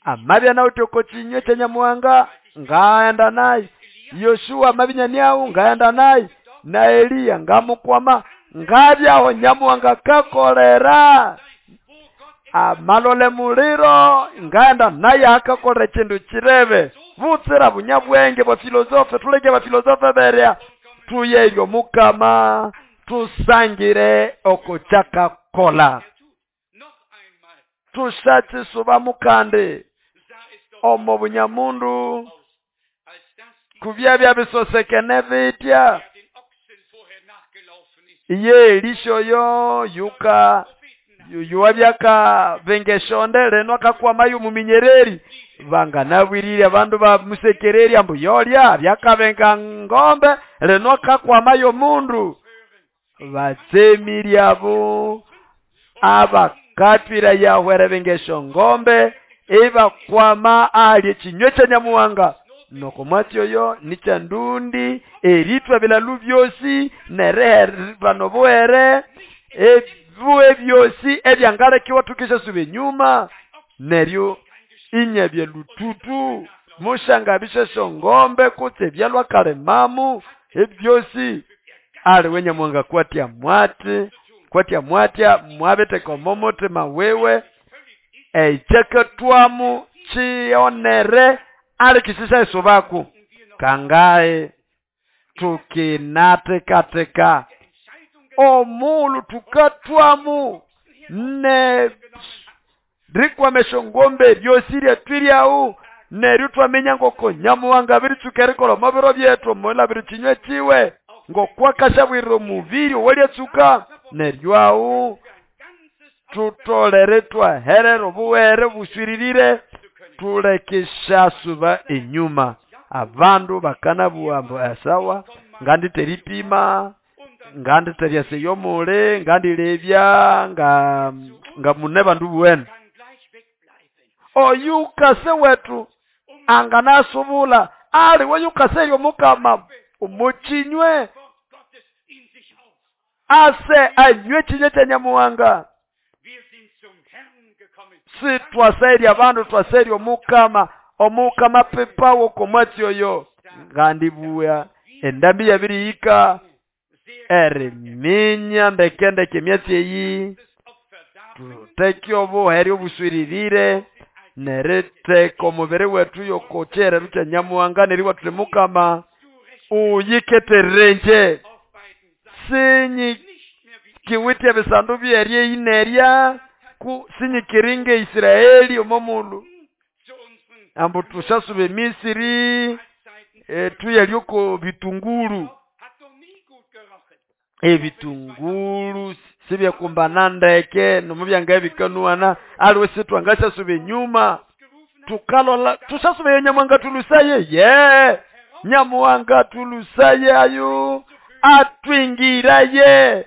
A: amabya nawutoko chinywe cha nyamuwanga ngaenda naye Yoshua amabinyaniau ngaenda naye na Eliya ngamukwama ngabyaho nyamuwanga kakolera amalole muliro ngaenda naye akakolera chindu chirebe butsira bunyabwenge bwa filosofe tuleke ba filosofe berya tuyeyo mukama tusangire okochakakola tushatisuba mukande omo bunyamundu kubyabya bisosekene bitya iye Elisha yo yuka yuwabyaka bengeshonde leno akakwama muminyereri vanganabwirire abandu bamusekereri ambu yolya byakabenga ngombe leno akakwama mundu batsemiriabo abakatwira yahwere bengesho ngombe ebakwama ali chinywe cha nyamuwanga noko mwatyoyo nicha ndundi eritwa bilalu byosi nerehe banobuhere ebuwe byosi ebyangalekiwa tukisha sube nyuma neryo inyabye lututu mushanga bishesho ngombe kutse byalwa kalemamu ebyosi ali wenyamuwanga kwatya mwati kwatya mwatya mwabeteka omomutima wewe echeketwamu chionere ali kisisa esubaku kangae tukinatekateka omulu tukatwamu ne rikwamesho ngombe byosirye twiryau neryo twamenya ngoko nyamuwanga biritsuka mabiro byetu mola birichinywe chiwe ngokwakashabwirira omubiri owalyatsuka neryo awu tutolere twaherera obuwere buswiririre tulekeshasuba enyuma abandu bakanabuwa mbu esawa nganditeripima nganditeryaseyomule ngandilebya nga nga mune bandu buwene oyukase wetu anganasubula ali weyukase yomukama omuchinywe ase anywe chinywe cha nyamuwanga si twaserya abandu twaserya omukama omukama pepawo komwatyoyo ngandibuya endambi yabiriyika eriminya ndekendeke emyatsi eyi tuteke obuhere obuswiririre neriteka omubiri wetu yokochereru kya nyamuwanga neriwa tuli mukama uyiketerenje sinyi kiwitya bisandu byerye inerya ku sinyikiringe Israeli omomulu ambu tushasube Misiri e, tuyalyoko bitunguru ebitunguru sibyakumbana ndeke nomubyanga bikanuana aliwe sitwangasha nyuma tukalola tushasube nyamuwanga tulusaye ye nyamuwanga tulusaye ayo atwingiraye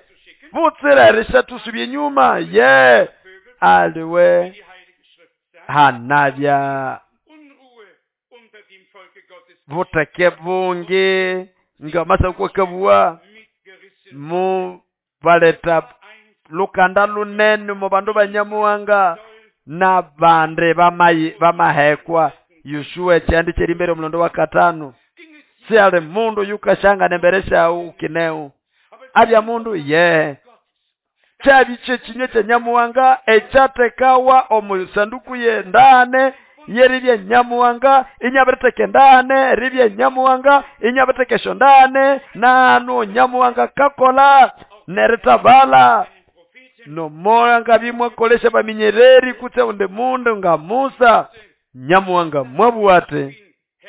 A: butsirarisha tusubye nyuma ye aliwe hanabya buteke bungi ngamasa kwakabuwa mu baleta lukanda lunene mu bandu banyamuwanga na bande bamayi bamahekwa Yoshua kyandi kyerimbere omulondo wa katano si ali mundu yukashanga nemberesha ukineu Abya mundu ye kyabya kyekinywe kya Nyamuhanga ekyatekawa omu sanduku y'endane yeribya Nyamuhanga inyabiriteka endane ribya Nyamuhanga inyabiriteka esyo ndane nanu Nyamuhanga kakola neritabala nomoya bimwakolesha baminyereri kutse undi mundu nga Musa. Nyamuhanga mwabwate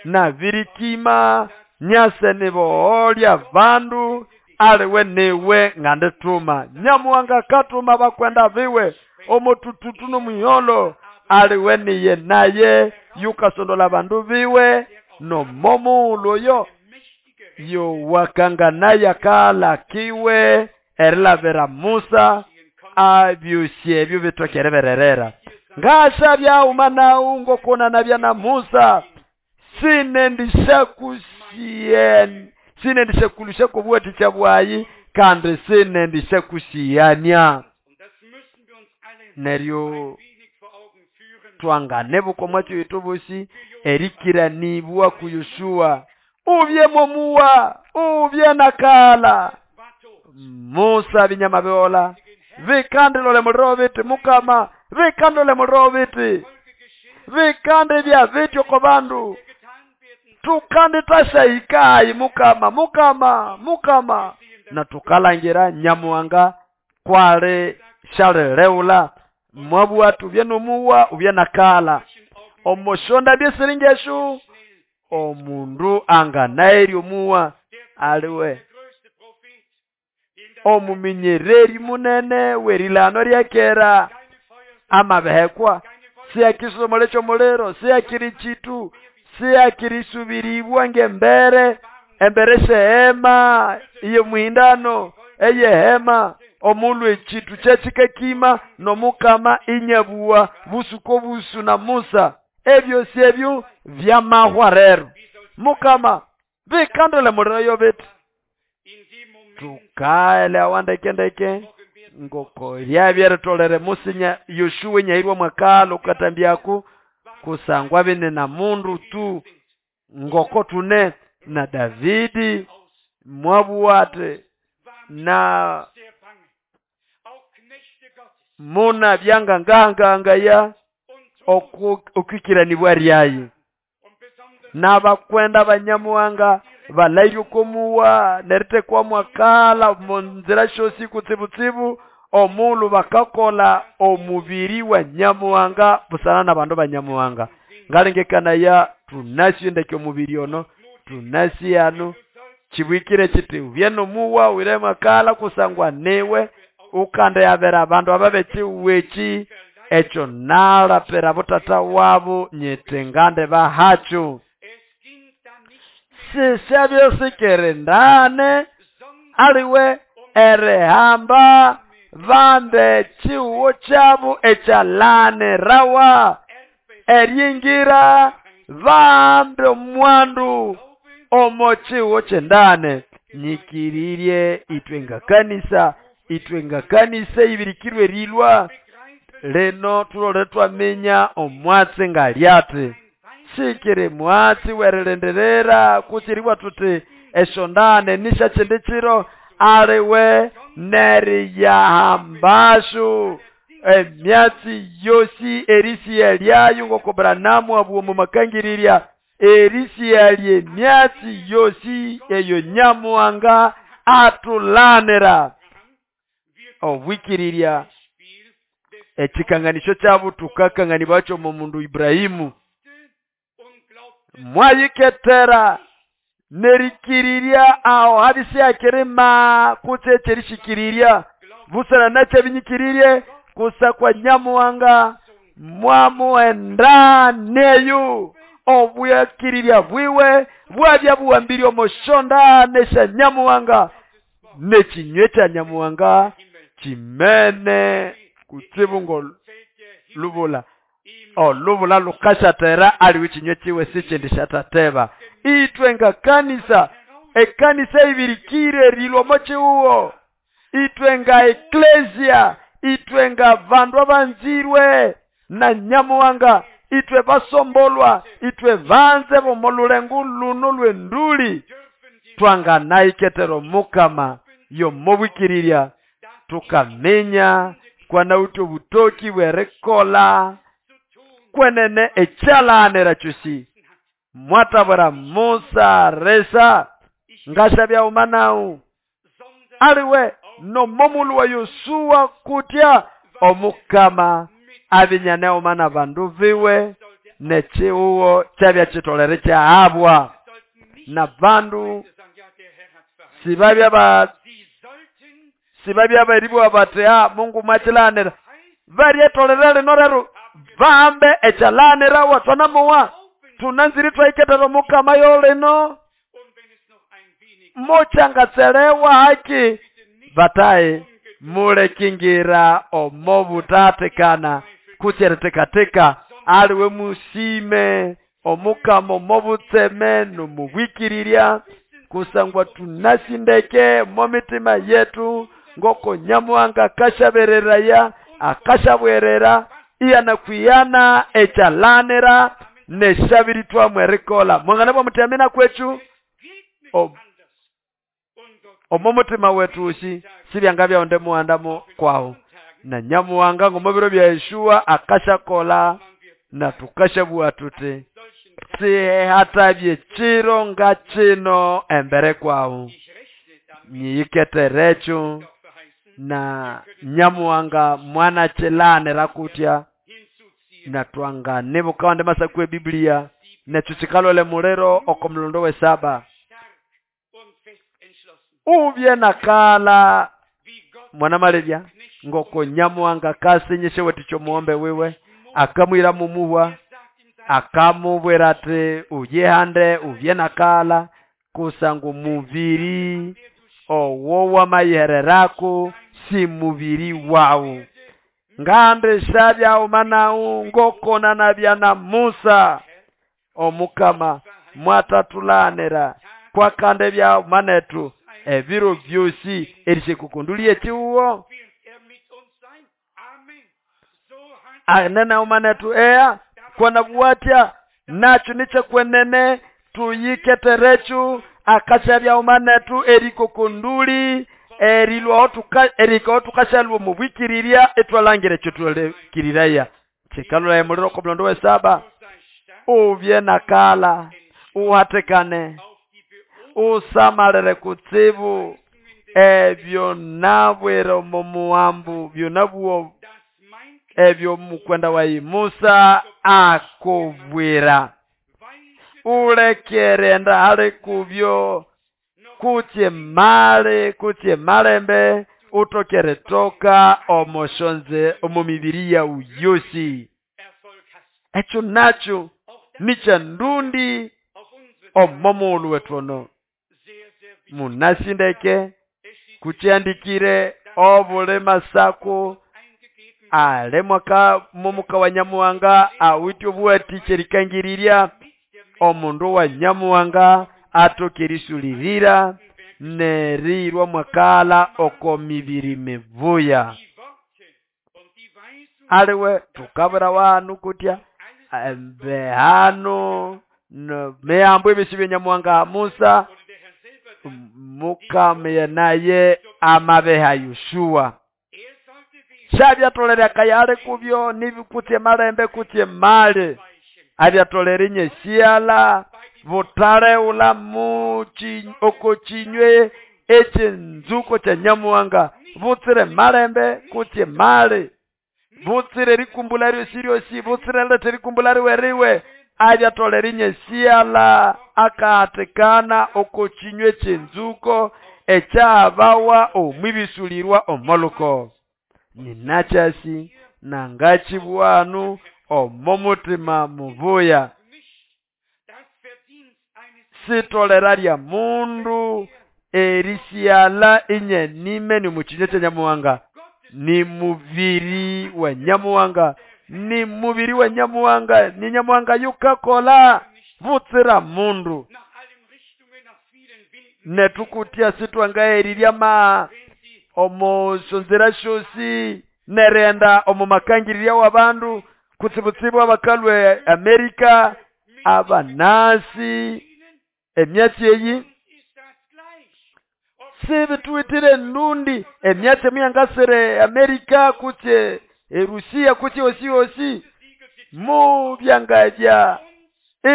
A: nabirikima nyase niboolya bandu aliwe niwe ngandituma. Nyamuhanga katuma bakwenda biwe omotututu nomuyolo aliwe niye naye yukasondola bandu biwe nomomuulo yowakanganaye akalakiwe erilabira Musa abyusi ebyo bitokere bererera ngasha byauma nawu ngokona nabya na Musa sinendishakusien sinendishakulusha kobwaticha bwayi kandi sinendishakusiyania neryo twangane bukomwacho itubusi erikiranibwa ku Yoshua ubye momuwa ubye nakala Musa binyama byola vikandilole muliro biti mukama vikandilole muliro biti vikande bya vityo ko bandu tukande tashaikayi mukama mukama mukama na tukalangira Nyamuhanga kwale shaleleula mwabwatu bye nomuwa ubye nakala omoshonda byesiringeshu omundu anganaeri omuwa aliwe omuminyereri munene werilano ryakera amabehekwa siyakisomole kyomuliro siyakiri chitu siyakirisubiribwa ngembere embere shehema iye muhindano eyehema omulwe echitu kyekikakima nomukama inyabuwa busuko busu na Musa ebyo syebyo vyamahwa rero mukama vikandole muliro yobeti tukaelewa ndekendeke ngoko lyabyeritolere musinya Yoshua nyairwa mwakalo katambyaku kusangwa bene na mundu tu ngoko tune na Davidi mwabuwate na muna byangangangangaya okwikiranibwa ryayi n'abakwenda banyamuhanga balairye okomuwa neritekwa mwakala munzira syosi kutsibutsibu omulu bakakola omubiri wa Nyamuhanga busana n'abandu banyamuhanga ngalengekanaya tunasi ndeke omubiri ono tunasi ano kibwikire kiti ubye nomuwa wire mwakala kusangwa niwe ukande yabera abandu ababekiweki ekyo nalapera butata wabo nyete ngande bahacho sishabyosikere ndane aliwe erehamba bambe chiwo kyabo ekyalane rawa eryingira bambe omwandu omo chiwo kyendane nyikirirye itwe nga kanisa itwe nga kanisa ibirikirwe rilwa leno tulole twamenya omwatsi nga lyate sikiri mwatsi werilenderera kuchiribwa tuti eshondane nisha chindi chiro aliwe neriyahambashu emyatsi yosi erisiya lyayo ngoko Branamu abuwa mumakangirirya erisiya lyemyatsi yosi eyo Nyamuhanga atulanira obwikirirya ekikanganisho kyabo tukakanganibwacho mu mundu Ibrahimu mwayiketera nerikirirya aho habisiyakirima kutse ekyerishikiriria busana nakyo binyikirirye kusa kwa Nyamuhanga mwamuenda neyo obuyakiriria bwiwe bwabya buwambiri omoshonda nesha Nyamuhanga nekinywe kya Nyamuhanga kimene kutsibu ngo lubula olubula lukashatera aliwe kinywe kiwe sikindi shatateba itwe nga kanisa ekanisa ibirikire rilwamo chiuwo itwe nga eklesia itwe nga bandu abanzirwe na Nyamuhanga itwe basombolwa itwe vanze bomolulengu luno lwenduli twanganaiketero mukama Yomobwikirirya tukaminya kwanawithe obutoki bw'erikola kwenene ekyalanira kyosi. Mwatabwira Musa resa ngashabya nawu aliwe nomomulu wa Yosuwa kutya omukama abinyane uma bandu biwe nechiuwo kyabya kitolere kyahabwa na bandu sibabya ba sibabya baribwa bati ah Mungu mwachilanira baryetolere lino rero bahambe ekyalanira watwanamuwa tunanziri twaiketera omukama yolino mochangatselewa haki bataye mulekingira omobutatekana kutyerekatekateka aliwe musime omukama omobutseme nomubwikirirya kusangwa tunasindeke momitima yetu ngoko Nyamuhanga akashabereraya akashabwerera iyanakwiyana ekyalanira neshabiri twamwerikola mwangana bwa mutiamina kwechu omo mutima wetu usi sibyanga byonde muandamo kwawo na Nyamuhanga ngomobiro bya Yeshua akashakola na tukashabua tute sihatabye chiro nga chino embere kwawo nyiketerecho na Nyamuhanga mwana chilanira kutya na twangane bukawande masakwe Biblia nechuchikalole mulero okomlondo we saba ubye nakala mwana malebya ngoko Nyamuhanga kasinyishe weticho muombe wiwe akamwira mumuhwa akamubwira ati uyehande ubye nakala kusangu muviri owo wamayihererako si muviri wawu ngambe shabya umanau ngokona nabya na Musa omukama mwatatulanira kwakande bya manetu ebiro byosi erishikukundulie chiuwo anene umanetu ea kwana buwatya nacho niche kwenene tuyiketerechu akashabya umanetu erikukunduli erilwa tuka eriko tukashalwa mubwikirirya etwalangire chotulkiriraya chikalula emuliro komlondo we saba ubye nakala uhatekane usamalere kutsibu ebyo nabwere mumuambu byonabuo ebyo mukwenda wa Musa akubwira ulekerenda hali kubyo kutye male kutye malembe utokere toka omoshonze omumibiri ya uyosi echo nacho nicha ndundi omomulu wetwono munasindeke kuchandikire obule masako ale mwaka mumuka wa Nyamuhanga awityo bwati cherikangiriria omundu wa Nyamuhanga atokerisulirira nerirwa mwakala oko mibiri mibuya aliwe tukabura wanu kutya embehano no meambo ebisi Nyamuhanga Musa mukame naye amabeha Yoshua shabyatolera kayale kubyo nibikutye malembe kutye male abyatolera nyesiala butale ula muchi okochinywe echinzuko cha Nyamuhanga butsire malembe kutye male butsire rikumbula ryosi butsire lete rikumbula riweriwe abyatolera nyesiala akahatekana okochinywe chinzuko ekyabawa omwibisulirwa omoluko ninachasi nangachibwanu omomutima mubuya sitolera lya mundu erisiala inye nime ni muchinye cha Nyamuhanga ni mubiri wa Nyamuhanga ni mubiri wa Nyamuhanga ni Nyamuhanga yukakola butsira mundu netukutia sitwangaerirya ma omo sonzera shosi nerenda omo makangiriria wa bandu kutsibutsibu abakalwe Amerika abanasi emyatsi eyi Sibituwitire ndundi emyatsi muyangasire Amerika kutse Erusia kutse osi osi mu byangabya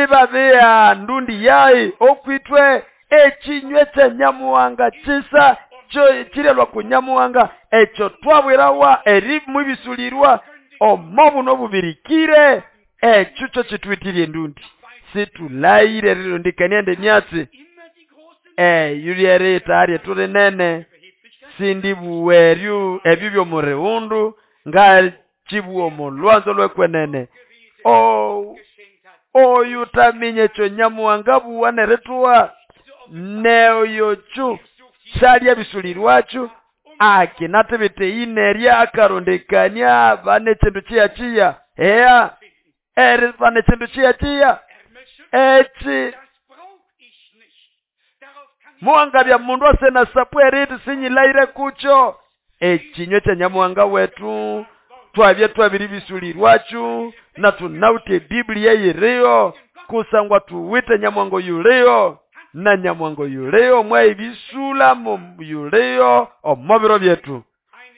A: ibabea ndundi yayi okwitwe ekinywe kya Nyamuhanga kisa kirelwa ku Nyamuhanga ekyo twabwirawa eri mubisulirwa omo buno bubirikire ekyo kyo kituwitire endundi situlayire rirondekania nde myatsi eyo lyerita ryetu rinene sindibuweryu ebyo by'omurighundu ngakibuwa omo lwanzo lwekwenene oyu taminya ekyo Nyamuhanga buwa nerituwa neoyo kyu syalya bisulirwakyo akinatibite inerya akarondekania bane ekindu kiyakiya eya eri bane ekindu kiyakiya eki muhanga bya mundu asena sapu eriti sinyilayire kukyo ekinywe kya Nyamuhanga wetu twabye twabiri bisulirwakyo na tunawite Biblia yiriyo kusangwa tuwite Nyamuhanga yuliyo na Nyamuhanga yuliyo mwaibisula yuliyo omo biro byetu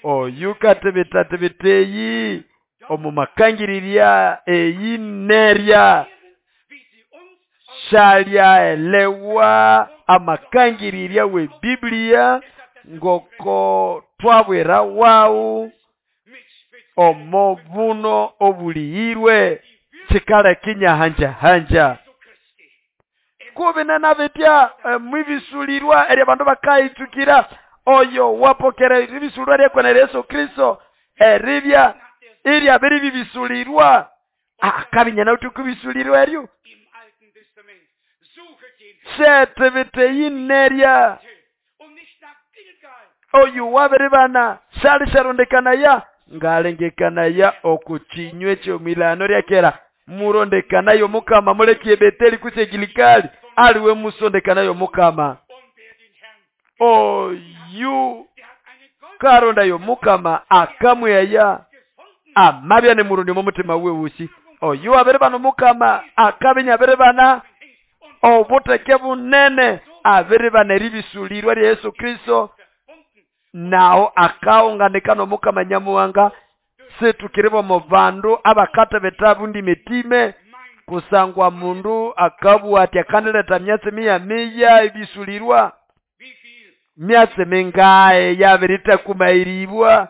A: oyu katibitativiteyi omu makangirirya eyi nerya shalyaelewa amakangirirya we Biblia ngoko twabwira wawu omo buno obuliyirwe kikale kinyahanjahanja kubinena bitya mwibisulirwa eri abandu bakayitukira oyo wapokera ibisulirwa ryekwenera Yesu Kristo eribya irya biri bibisulirwa akabinyana uti kubisulirwa eryo setibiteyinerya oyu wabiribana shalisharondekanaya ngalengekanaya okukinywe ky'omwilano ryakera murondekanayo mukama mulekie Beteli kutse Gilikali aliwe musondekanayo mukama oyu karondayo mukama akamweya amabya ne murundi omutima we wusi oyu abiribana mukama akabinya abiribana obuteke bunene abiribana eribisulirwa rya Yesu Kristo naho akaunganika nomukama Nyamuhanga situkiribo mu bandu abakatebeta bundi mitime kusangwa mundu akabwa ati akandileta myatsi miya miya ebisulirwa myatsi mingaye yabiritakumairibwa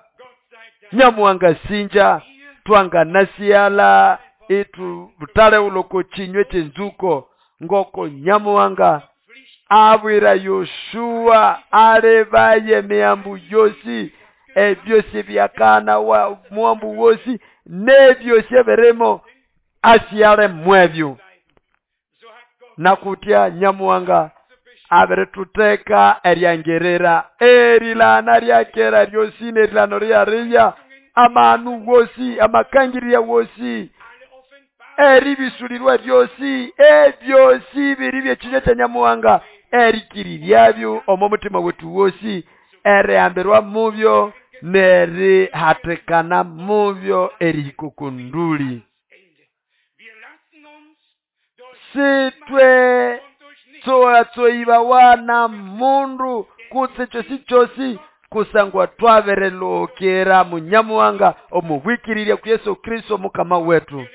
A: Nyamuhanga sinja twanganasiala itu butale uloko chinywe chenzuko ngoko Nyamuhanga abwira Yoshua alebaye miyambu yosi ebyosi byakana wa muambu wosi nebyosi eberemo asiale mwebyo nakutya Nyamuhanga abirituteka eryangerera erilana ryakera ryosi nerilano ryariya amanu wosi amakangirya wosi eribisulirwa ryosi ebyosi biri byekinywa kya Nyamuhanga erikiriryabyo omo mutima wetu wosi erihambirwa mubyo nerihatikana mubyo erihikukunduli sitwe tsoatsoibawa na mundu kutse chosi chosi kusangwa twaberelokera munyamuhanga omubwikirirya ku Yesu Kristo mukama wetu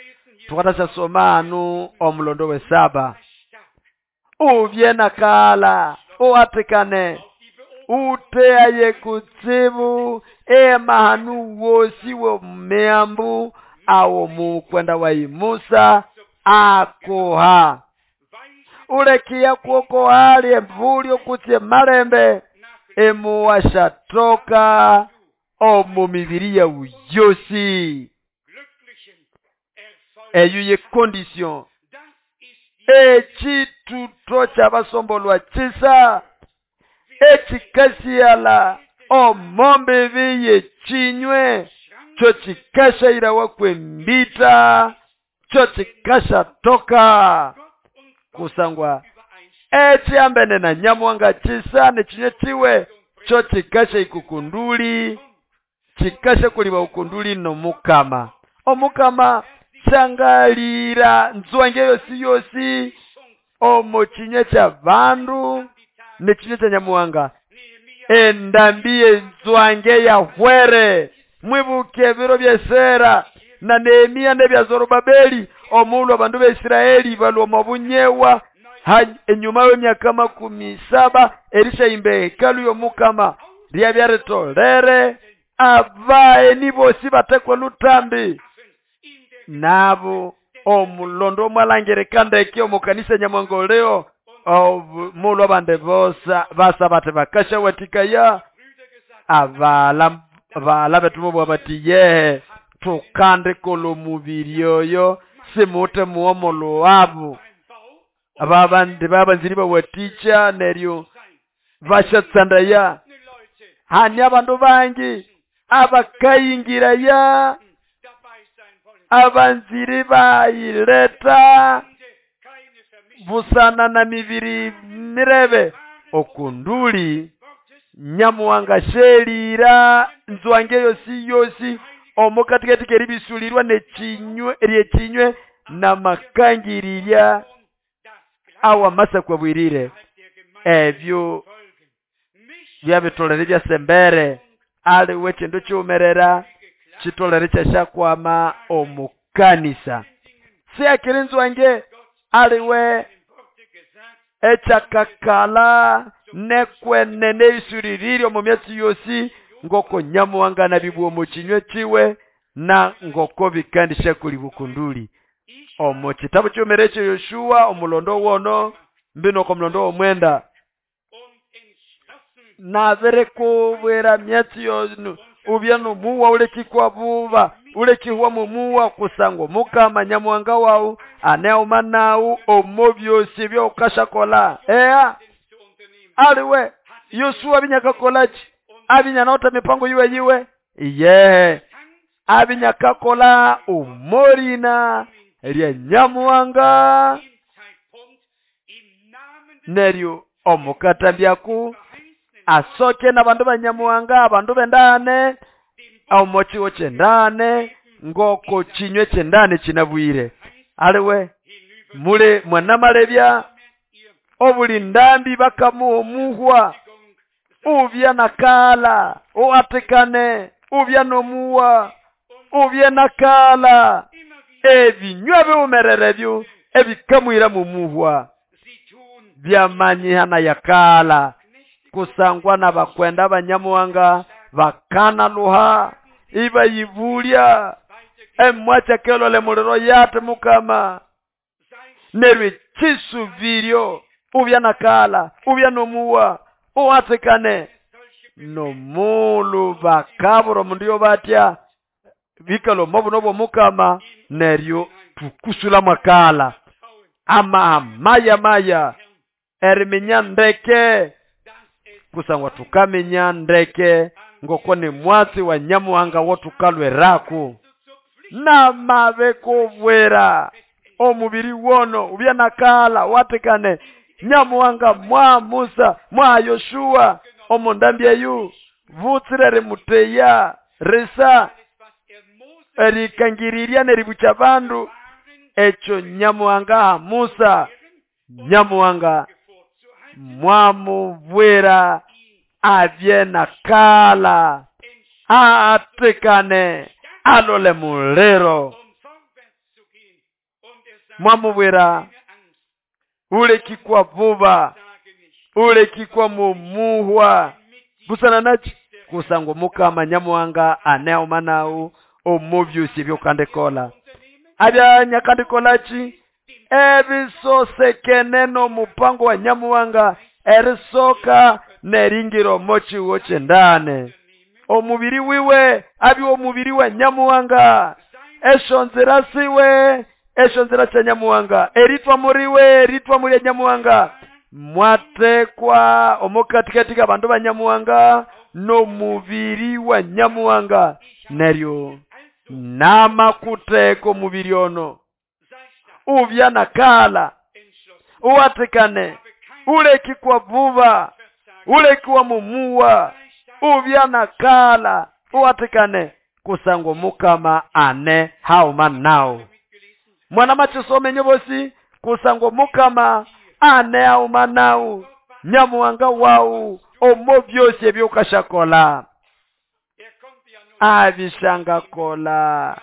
A: tukatasasoma anu omulondo we saba ubye nakala uatikane uteaye kutsibu emahanu wosi wo meambu awo mukwenda wa Musa akoha ulekia kuoko hali emvulyo kutse malembe emuwashatoka omu mibiri yawu yosi eyo ye condition ekituto kyabasombolwa kisa ekikasiala omombebi yekinywe kyo kikashairawa kwembita kyo kikashatoka kusangwa ekyambene na Nyamuhanga kisa nekinywe kiwe kyo kikasha ikukunduli kikasha kuliba ukunduli nomukama omukama shangalira nzwange yosi yosi omo kinywe kya bandu nekinywe kya Nyamuhanga Endambi enzwange yahwere. Mwibuke ebiro by'Esera na Nehemia n'ebya Zorobabeli, omulhu abandu ba Israeli balwa omo bunyewa enyuma w'emyaka makumi saba erishayimba ehekalu y'Omukama ryabya ritolere abaeni bosi batekwa lutambi. Nabo omulondo omwalangirika ndeke omukanisa Nyamwangoleo omulhu abandi bosa basa bati bakashawathikaya abala abala bethu bobwa bati yehe tukandikola omubiri oyo simute muwomolo wabo. Ababandi babanziri bawatikya neryo bashatsandaya. Hani abandu bangi abakayingiraya abanziri bayileta busana na mibiri mirebe okunduli Nyamuhanga shelira nzwange yosi yosi omukatikati keribisulirwa nechinywe eryechinywe namakangiriria awa masakwa bwirire. Ebyo byabitolere byasembere aliwe chindu chiumerera chitolere kyashakwama omukanisa. Siakiri nzwange aliwe echakakala nekwenene isuririri omu myatsi yosi ngoko Nyamuhanga nabibwa omu kinywe kiwe na ngoko bikandisha kuli bukunduli. Omu kitabu ky'omere ekyo Yoshua omulondo wono mbino ko mulondo w'omwenda nabirekubwira myatsi yonu ubya nomuwa ulekikwa buba ulekihwa mumuwa kusangwa Mukama Nyamuhanga wawu aneuma nawu omo byosi byokashakola. Ea aliwe Yoshua abinyakakolachi abinyanota mipango yiwe yiwe iye abinyakakola umorina lya Nyamuhanga neryo omukatambyaku asoke n'abandu ba Nyamuhanga abandu bendane omochiwo kyendane ngoko chinywe kyendane kinabwire. Aliwe mule mwanamalebya obuli ndambi bakamuha omuhwa ubya nakala uatikane ubya nomuwa ubya nakala ebinywa biumerere byo ebikamwira mumuhwa byamanyihana yakala kusangwa n'abakwenda abanyamuhanga bakana luha ibayibulya emwacha kelole muliro yate Mukama neryo chisubiryo ubya nakala ubya nomuwa uatikane nomulu bakabura omundu yobatya bikalo mobuno bw'Omukama neryo tukusula mwakala ama maya maya eriminya ndeke kusangwa tukaminya ndeke ngoko ni mwatsi wa Nyamuhanga wotukalweraku namabekubwira omubiri wono ubya nakala watikane Nyamuhanga mwa Musa mwa Yoshua omundambi eyu vutsire rimuteya risa erikangiriria neribucha bandu ekyo Nyamuhanga Musa Nyamuhanga mwamubwira abye nakala atikane alole muliro mwamubwira ulekikwa vuba ulekikwa mumuhwa busana nachi kusangwa Mukama Nyamuhanga aneuma nawu omubyusi byokandikola abya nyakandikolachi ebisosekene n'omupango wa Nyamuhanga erisoka neringiro mochiwo kyendane omubiri wiwe abi omubiri wa Nyamuhanga esho nzira siwe esho nzira kya Nyamuhanga eritwa muriwe eritwa muri Nyamuhanga mwatekwa omukatikati abandu ba Nyamuhanga n'omubiri wa Nyamuhanga neryo namakuteka omubiri ono ubya nakala uwatikane ulekikwa vuba ulekiwa mumuwa ubya nakala uwatikane kusangwa Mukama ane hauma nawo. Mwana machisome nyobosi kusangwa Mukama ane hauma nawo Nyamuhanga wawu omo byosi ebyukashakola abishangakola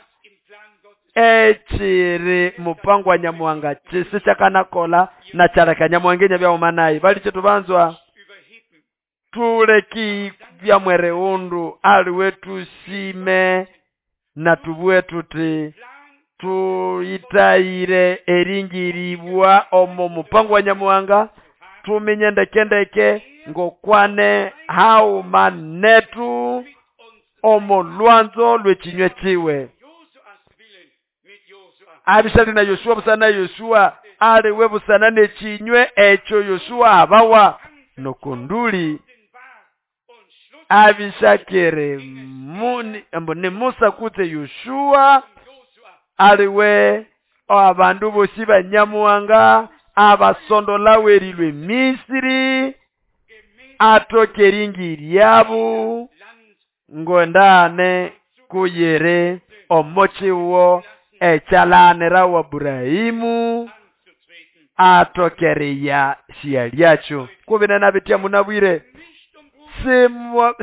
A: echiri mupango wa Nyamuhanga chisi chakanakola na chareka Nyamuhanga enyabyahuma naye bali chetubanzwa tuleki bya mwere undu aliwe tusime na tubue tuti tuitayire eringiribwa omo mupango wa Nyamuhanga tuminye ndekendeke ngokwane hauma netu omo lwanzo lwechinywe chiwe abishali na Yoshua busana Yoshua aliwe busana nechinywe echo Yoshua abawa nokunduli abishakere muni ni Musa kutse Yoshua aliwe abandu bosi ba Nyamuhanga abasondolawerilwe Misiri atokeringi lyabu ngondane kuyere omochiwo echalanira wa Burahimu atokereya shialyacho kubinena bitya munabwire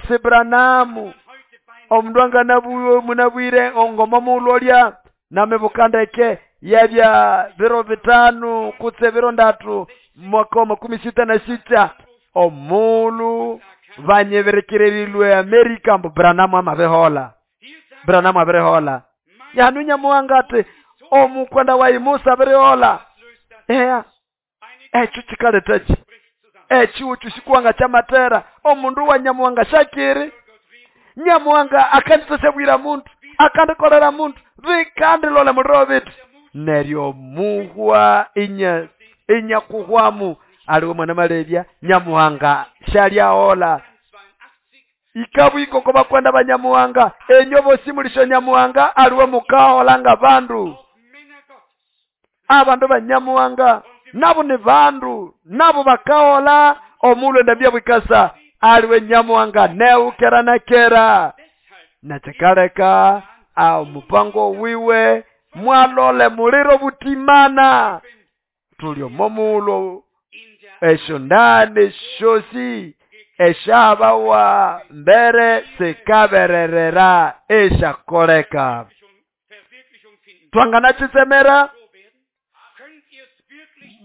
A: Sibranamu omundu anganabuwe munabwire ongoma mulolya namebukandeke yabya biro bitano kutse biro ndatu mwaka wa makumi sita na sita omulu banyeberekererilwe Amerika mbu Branamu amabehola Branamu aberehola yanu Nyamuhanga ati omukwenda wa Musa aberehola eya echo chikaletachi echiwo chishikuwanga chamatera omundu wa Nyamuhanga shakiri Nyamuhanga akanditosebwira muntu akandikolera muntu vikandilole muliro bitu neryo muhwa inya inyakuhwamu aliwe mwana malebya Nyamuhanga shalyahola ikabwiko bakwenda banyamuhanga enyo bosi mulisho Nyamuhanga aliwe mukahola nga bandu abandu banyamuhanga nabo ni bandu nabo bakahola omulwe ndabya bwikasa aliwe Nyamuhanga neukera na kera nachikaleka au mupango wiwe mwalole muliro butimana tulio momulo esho ndane shosi eshabawa mbere sikabererera eshakoleka twanganachisemera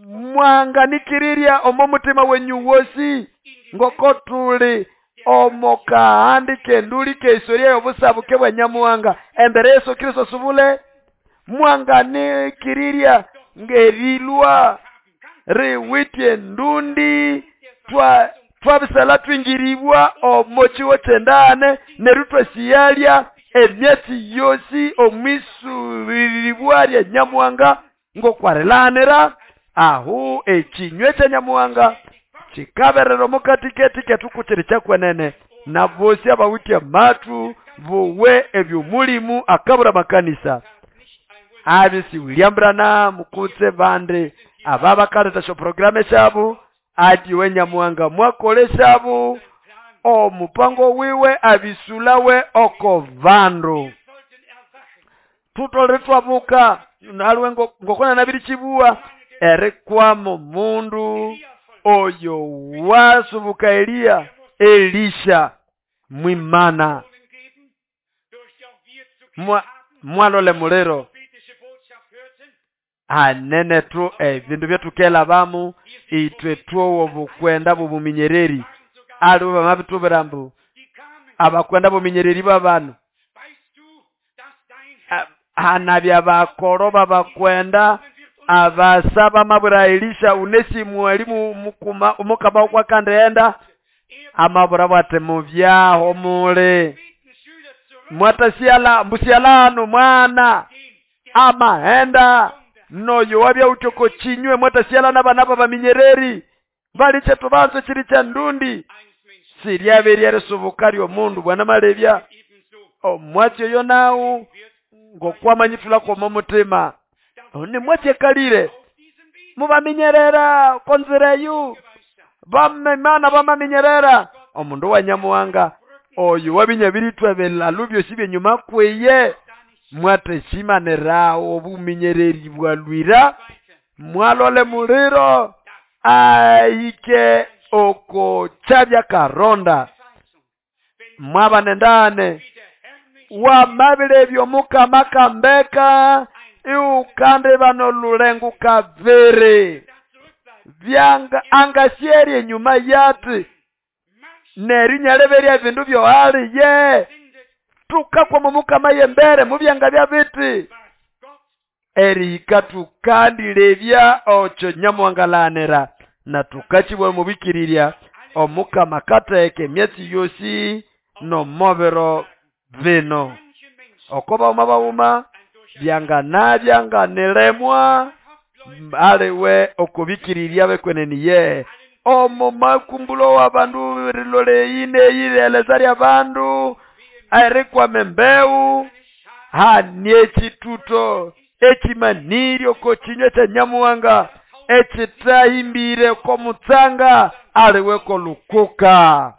A: mwanganikirirya omo mutima wenyu wosi ngoko tuli omo kahandike nduli ke historia y'obusabuke bwa Nyamuhanga embere Yesu Kristo subule mwanganikirirya ngerilwa riwitye ndundi twa twabisala twingiribwa omo chiwo chendane neru twasiyalya emyatsi yosi omwisuriribwa lya Nyamuhanga ngokwarilanira ahu echinywe cha Nyamuhanga chikaberera mukatiketi ketukuchiri chakwenene na bosi abawitya matu buwe ebyomulimu akabura makanisa abisi William Branham kutse bande ababakaleta sho programe shabu ati we Nyamuhanga mwakole shabu omupango wiwe abisulawe oko vandu tutole twabuka nalwe ngokona nabiri chibuwa erekwamo mundu oyo wasubuka Eliya Elisha mwimana Mwa, mwalole muliro anene tu ebindu byetukela bamu itwe tuowo bukwenda bubuminyereri aliwe bamabitubira mbu abakwenda buminyereri babanu hanabya bakoro babakwenda abasaba mabura Elisha unesimu elimu mukuma umukaba kwa kandeenda amabura bwate muvyaho mule mwatasiala mbusialano mwana amahenda noyo wabya utoko chinywe mwatasiala n'abana baminyereri baliche tubanzo chiri cha ndundi siryaberya risubuka lyomundu bwana malebya omwatyo yo nawu ngokwamanyithula kwomo mutima ni mwatyekalire mubaminyerera konzireyu bamemana bamaminyerera omundu wa Nyamuhanga oyo wabinyabirithwa belalu byosi byenyuma kweye mwateshimanirawo obuminyereri bwalwira mwalole muliro aike oko kyabya karonda mwaba nendane wamabire omukama kambeka iukandi bano lulengu kaviri byanga angasyeri enyuma yati neryo nyaleberya bindu byohali ye tukakwama mukama yembere mubyanga bya biti erihika tukandilebya ocho nyamuwangalanira na tukachibwa mubikirirya omukama kateke emyatsi yosi nomobero bino oko bauma bauma byangana byanganilemwa aliwe okubikirirya bekweneniye omo makumbulo wa bandu rilole ine yile bandu erikwama embeu hani ekituto ekimaniryo ko kinywa kya nyamuwanga ekitahimbire ko mutsanga aliwe ko lukuka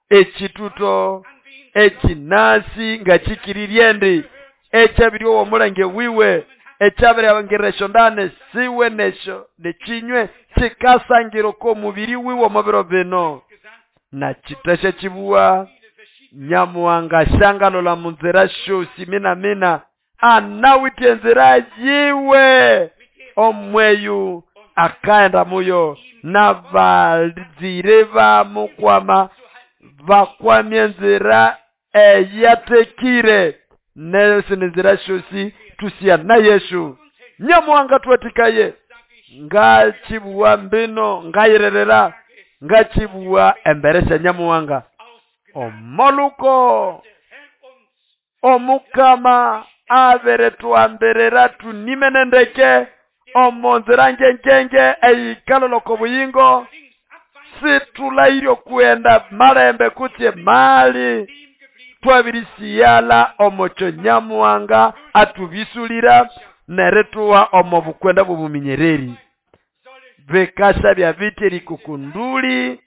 A: ekituto ekinasi nga kikiriryendi ekyabiri omulenge wiwe ekyabiri abangeresho ndane siwe nesho nekinywe kikasangiro ko mubiri wiwe omubiro bino na kiteshe kibuwa nyamuwanga shangalola munzira shosi mina mina anawite nzira yiwe omweyu akaenda muyo nabalizire bamukwama bakwamye nzira eyatekire neyo sinzira shosi tusia na Yesu nyamuwanga twatikaye ngachibuwa mbino ngayirerera ngachibuwa emberesha nyamuwanga omoluko omukama abere twamberera tunimenendeke omonzira ngengenge eikaloloko buyingo situlairyo kuenda malembe kutye mali twabirisiyala omocho nyamuwanga atubisulira neretuwa omobukwenda bubuminyereri bekasha bya biteri kukunduli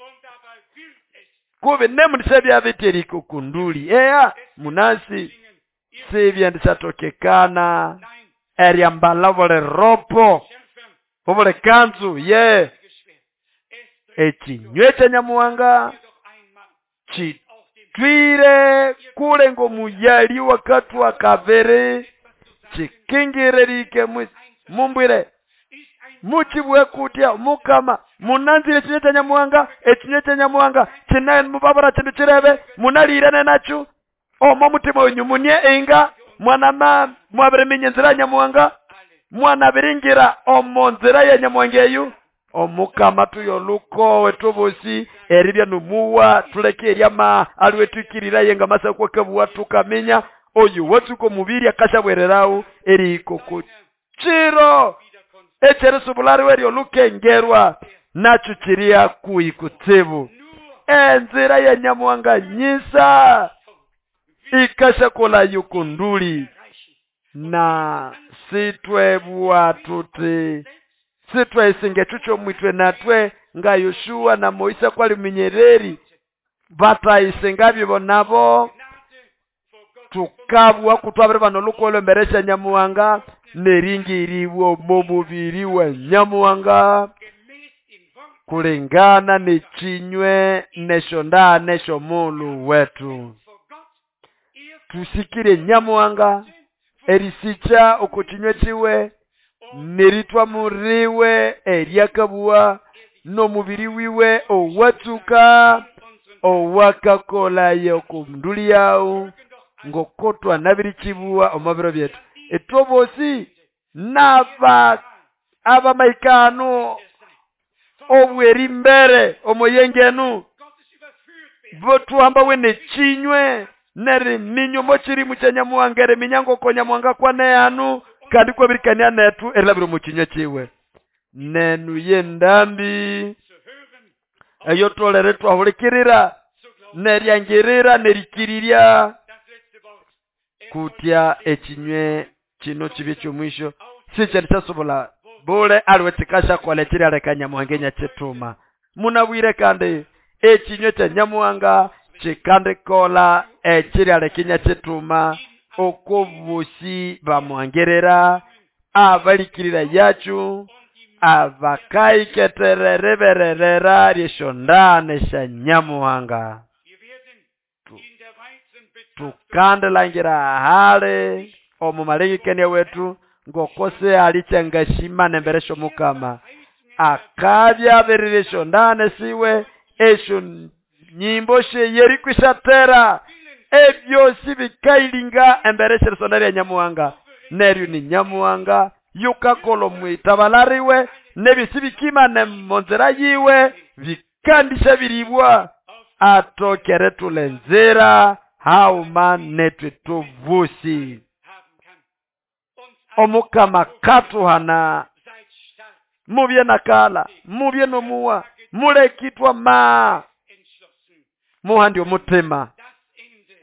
A: kube nemundisha bya biteri kukunduli eya munasi sibyandisatokekana eryambala bole ropo obole kanzu ye ekinywe kya nyamuwanga kitwire kule ngomuyali wakatwa kavere chikingirerike mumbwire muchibwe kutya mukama munanzire ekinywe kya nyamuwanga ekinywe kya nyamuwanga kinaye mubabara kindu kirebe munalirane nakyo omo mutima wenyu munie inga mwana ma mwabiriminya enzira ya nyamuwanga mwana biringira omo nzira ya nyamuwanga eyu omukama tuyoluko wetubusi eribya numuwa tuleke eryama aliwetukirira yenga masa kwakabuwa tukaminya oyu watsuko mubiri akashabwererawo eriko chiro echerisubulari weryo lukengerwa nacho chiria kuikutsibu enzira ya nyamuwanga nyisa ikashakola yukunduli na sitwebwa tuti sitwe chucho mwitwe natwe nga Yoshua na Moisa kwali minyereri bataisenga nabo tukabwa kutwabire bano lukolo mberesha nyamuwanga neringiriwo mumubiri wa nyamuwanga kulingana nechinywe neshonda neshomulu wetu tusikire nyamuwanga erisicha okuchinywe chiwe neritwa muriwe eryakabuwa nomubiri wiwe owatsuka owakakola yokumnduli yao ngokotwa nabirichibuwa omabiro byetu etobosi naba abamaikano obweri mbere omoyengenu botuhamba wene chinywe neri minyo mochiri muchanyamuwanga ere minyango konyamuwanga kwane anu kandi kwabirikania netu erilabiro muchinywe chiwe nenu yendambi eyo tolere twahulikirira neryangirira nerikiriria kutya ekinywe kino kibi ky'omwisho sikyalisasobola bule aliwe kikasha kola ekiryaleka nyamuhanga enyakituma munabwire kandi ekinywe kya nyamuhanga kikandikola ekiryaleka enyakituma okobusi bamuhangerera abalikirira yacu Abakaiketere ribererera lyeshondane sya Nyamuhanga. Tukandilangira hali omu malengekania wetu ngoko sihali kyangashimana embere syomukama. Akabya abirira eshondane siwe esyo nyimbo syeyeriko isyathera ebyosi bikailinga embere syerisonda lya Nyamuhanga. Neryo ni Nyamuhanga yukakola omwitabala riwe nebyosi bikimana omonzira yiwe bikandisya biribwa atokere thula enzira hauma netwe tubusi. Omukama katuhana mubye nakala mubye nomuwa mulekitwa ma muhandi omutima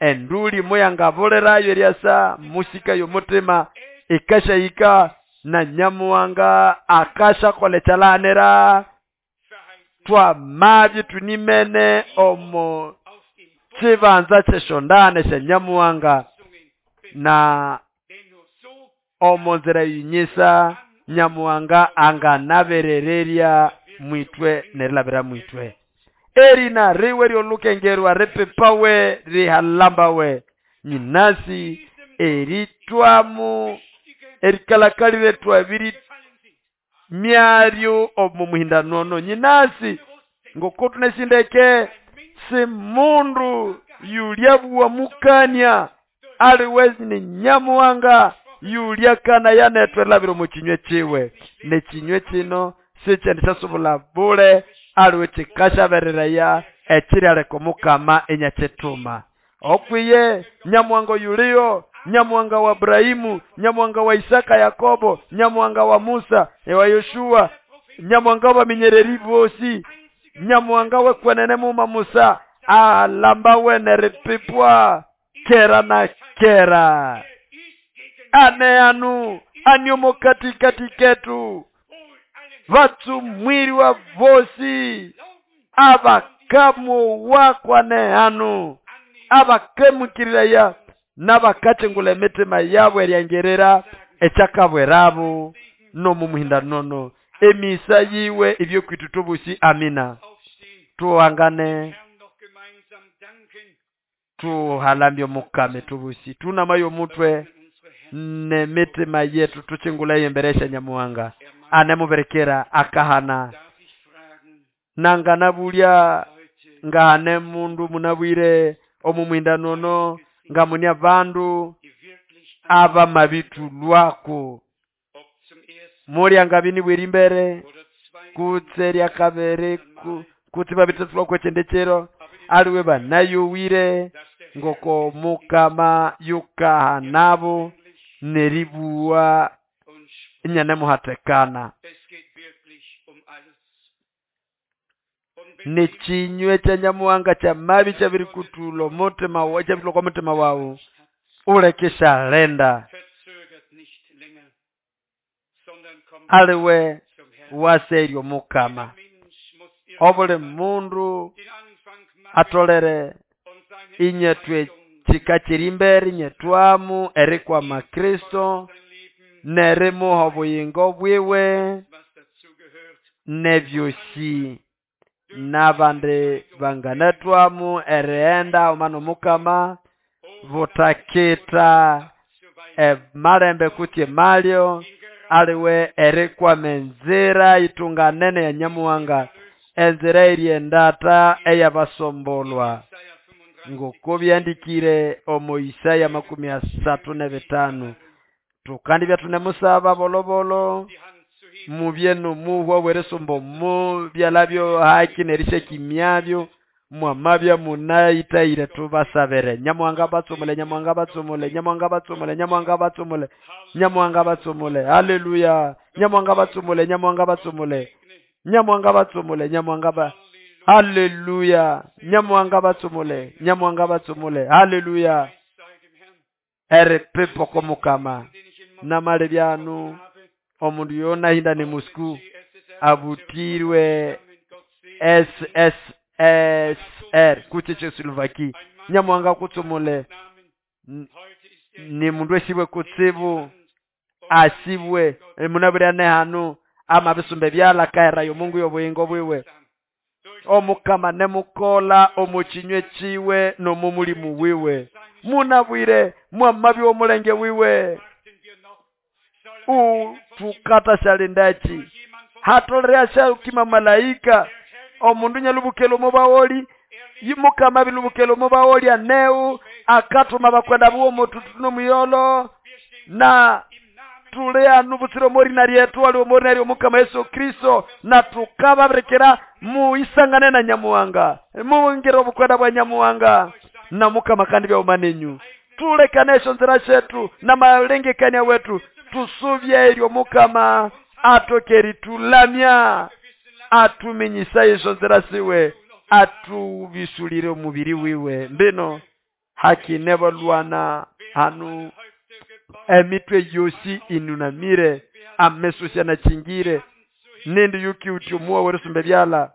A: enduli muyangabulirayo eryasa musikayo omutima ikashahika na Nyamuhanga akashakola ekyalanira twamabye tunimene omo kibanza kyeshondane sya Nyamuhanga na omonzira yinyisa Nyamuhanga anganaberererya mwitwe nerilabira mwitwe. Erina riwe ryolukengerwa ripipawe rihalambawe nyinasi eritwamu erikalakalire twabiri myaryo omu muhindanono nyinasi ngoko tunesindeke si mundu yulyabuwa mukania aliwezi ni Nyamuhanga yulyakana yanetwe labiro mu kinywe kiwe nekinywe kino sikyendisasubula bule aliwe kikashabereraya ekiryaleka omukama enyakyetuma. Okwiye Nyamuhanga yuliyo Nyamuhanga wa Ibrahimu, Nyamuhanga wa Isaka Yakobo, Nyamuhanga wa Musa wa Yoshua, Nyamuhanga wa minyereri bosi, Nyamuhanga wekwenene muma Musa alambawe neripipwa kera na kera. Ane anu aniomo katikati ketu vatsumwiriwa vosi abakamu wakwane anu abakemukiraya n'abakachengula emitima yabo eryangerera ekyakabwerabu n'omumuhindanono emisa yiwe ibyo tubusi. Amina. Tuangane tuhalambye omukame tubusi tunamayo omutwe nemitima yetu tuchingula emberesha Nyamuhanga anemuberekera akahana nanganabulya ngahane mundu munabwire omumuhindanono ngamunia bandu aba mabitulwako mulya ngabini bweri mbere kutse lyakabere kutse babitulwako ekyendekero aliwe banayowire ngoko mukama yukahanabo neribuwa inyanemuhatekana nechinywe kya Nyamuhanga kya mabi kyabirikutulo mutima wa kyabirikutulo kwa mutima wawu ulekesha lenda aliwe waseryo mukama obuli mundu atolere inyetwe chikachirimbere inyetwamu erikwama Kristo nerimuha obuyingo bwiwe nebyosi n'abandi banganatwamu erighenda omwana omukama butakita emalembe kutse emalyo aliwe erikwama enzira itunganene ya Nyamuhanga enzira eryendata eyabasombolwa ngoko byandikire omu Isaya makumi asatu n'ebitano. Tukandi byatunemusaba bolobolo mubye nomuhwa weresombo mu byalabyo haki nerishekimyabyo mwamabya munayitayire tubasabere. Nyamuhanga batsomole Nyamuhanga batsomole Nyamuhanga batsomole Nyamuhanga batsomole Nyamuhanga batsomole haleluya Nyamuhanga batsomole Nyamuhanga batsomole Nyamuhanga batsomole Nyamuhanga ba haleluya Nyamuhanga batsomole Nyamuhanga batsomole haleluya eripipo komukama namale byanu omundu yona hinda ni Moscow abutirwe S S S R kutse Slovaki Nyamuhanga kutsomole ni mundu esibwe kutsibu asibwe munabira nehanu Amabisumba ebyala kaherayo Mungu y'obuyingo bwiwe. Omukama nemukola omu kinywe kiwe n'omu mulimu wiwe. Munabwire mwamabi w'omulenge wiwe. Utukata shalindaki hatolere ashakima malaika omundu nyalubukelo mubawoli yimukama bilubukelo mubawoli aneu akatuma bakwenda buwo mututu nomuyolo na tulea nubutsiro mori na ryetu ali omori na omukama Yesu Kristo na tukababrekera muisangane na Nyamuwanga muwongere obukwenda bwa Nyamuwanga na mukama kandi bya umanenyu tulekane esyo nzira shetu na malengekania wetu tusubye eryo mukama atokeri tulamya atumenyisa esyo nzira siwe atubisulire omubiri wiwe mbino haki nebalwana hanu emitwe yosi inunamire ameso syanachingire nindi yuki utyomuwa werusumbe byala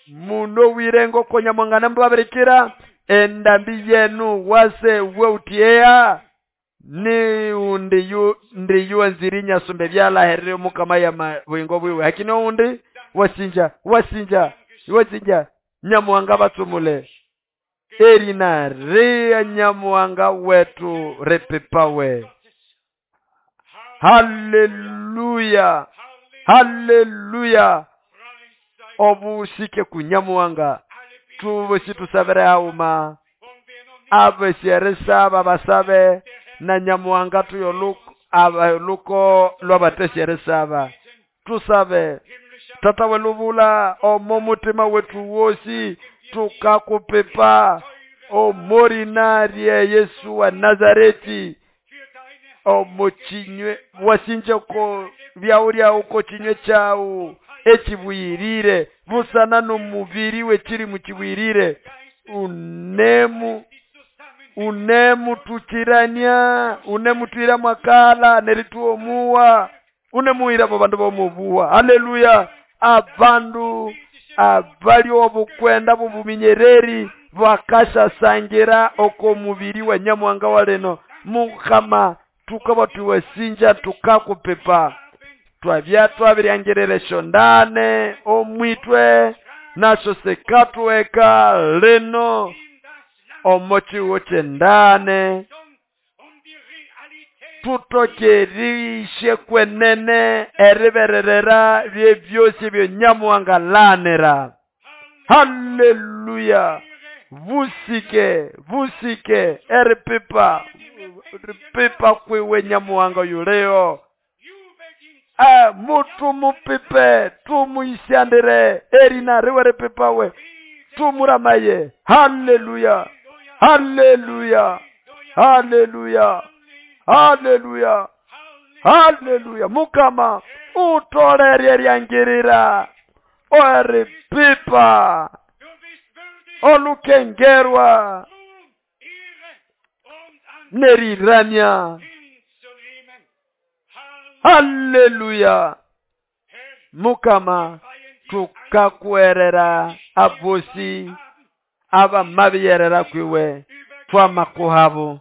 A: muno wirengo konya mwangana mbabirikira endambi yenu wase weutiea ni undi yu ndi yu nzirinya sumbe byala herere mukama ya bwingo bwiwe hakino undi wasinja wasinja wasinja Nyamuwanga batsumule erina ria Nyamuwanga wetu repepawe. Haleluya, haleluya. Obusike ku Nyamuwanga tubosi tusabere auma abesyeresaba basabe na Nyamuwanga tuyoluko abaluko lwabatesyeresaba tusabe. Tata welubula omo mutima wetu wosi tukakupepa omorina rye Yesu wa Nazareti omuchinywe wasinje ko byaulya uko chinywe chawu ekibuyirire busana n'omubiri we kiri mu kibuyirire unemu unemu tukirania unemu twira mwakala nerituomuwa unemuira bo bandu bomubuwa. Haleluya. Abandu abali obukwenda bubuminyereri bakashasangira oko mubiri wa Nyamuwanga waleno mukama tukaba tuwesinja tukakupepa twabya twabiryangerere shondane omwitwe nasho sekatweka leno omochiwo chendane tutokerishe kwenene eribererera byebyosi byo Nyamuwanga lanera. Haleluya. Vusike vusike eripipa ripipa kwiwe Nyamuwanga yuleo ah mutu mupipe tumuisyandire erina riwe ripipawe tumuramaye. Haleluya, haleluya, haleluya, haleluya, haleluya. Mukama utolerye ryangirira oripipa olukengerwa neriramya. Haleluya. Mukama tukakuerera abosi abamabiyerera kwiwe twamakuhabo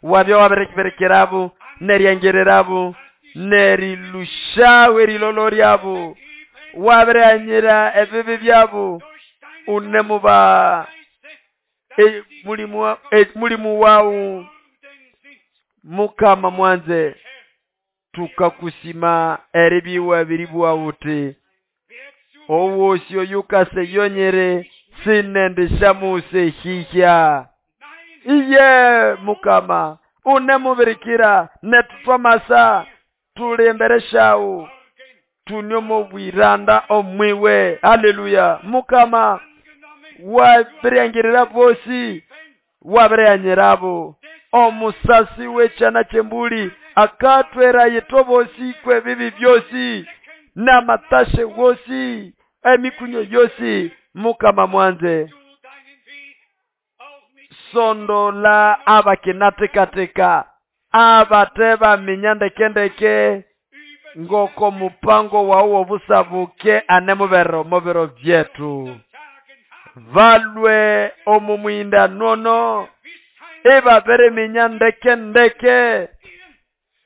A: wabyo waberekerekerabu neryangererabu nerilushawe rilolo ryabo waberanyira ebibi byabo unemuba e, mulimu e, mulimu wawu Mukama mwanze tukakusima eribiwa biribwa uti owosyo yukase yonyere sinendishamuse hihya iye Mukama unemubirikira netutwamasa tulembereshawu tunyomo bwiranda omwiwe. Haleluya. Mukama wabirangirira bosi wabiranyirabo omusasi wechana chembuli akatwera yetobosi kwe bibi byosi n'amatashe wosi emikunyo yosi. Mukama mwanze sondola abakenatekateka abateba minyandekendeke ngoko mupango wawo busabuke anemubero mubiro byetu valwe omumwinda nono ebabere minyandekendeke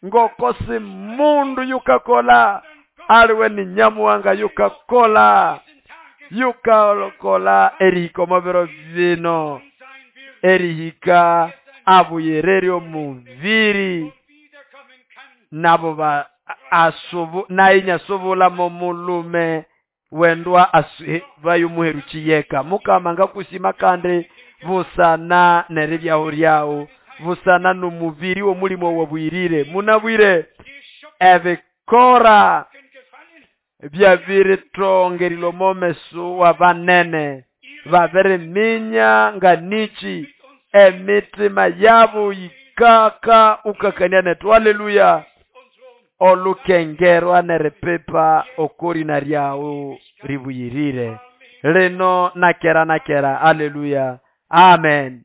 A: ngoko si mundu yukakola Aliwe ni Nyamuhanga yukakola yukakola erihika omo biro bino, erihika abuyirire omubiri nabo ba asubu naye inyasubula mo mulume wendwa asu bayomuherukiyeka. Mukama ngakusima kandi busana neribyaho ryawu, busana n'omubiri w'omulimo wabuyirire. Munabwire ebikora byabiritongerila omo meso w'abanene, babiriminya nga niki emitima yabo yikaka ukakania nethu. Haleluya. Olukengerwa neripipa okorina ryawu ribuyirire lino nakera nakera. Haleluya, amen.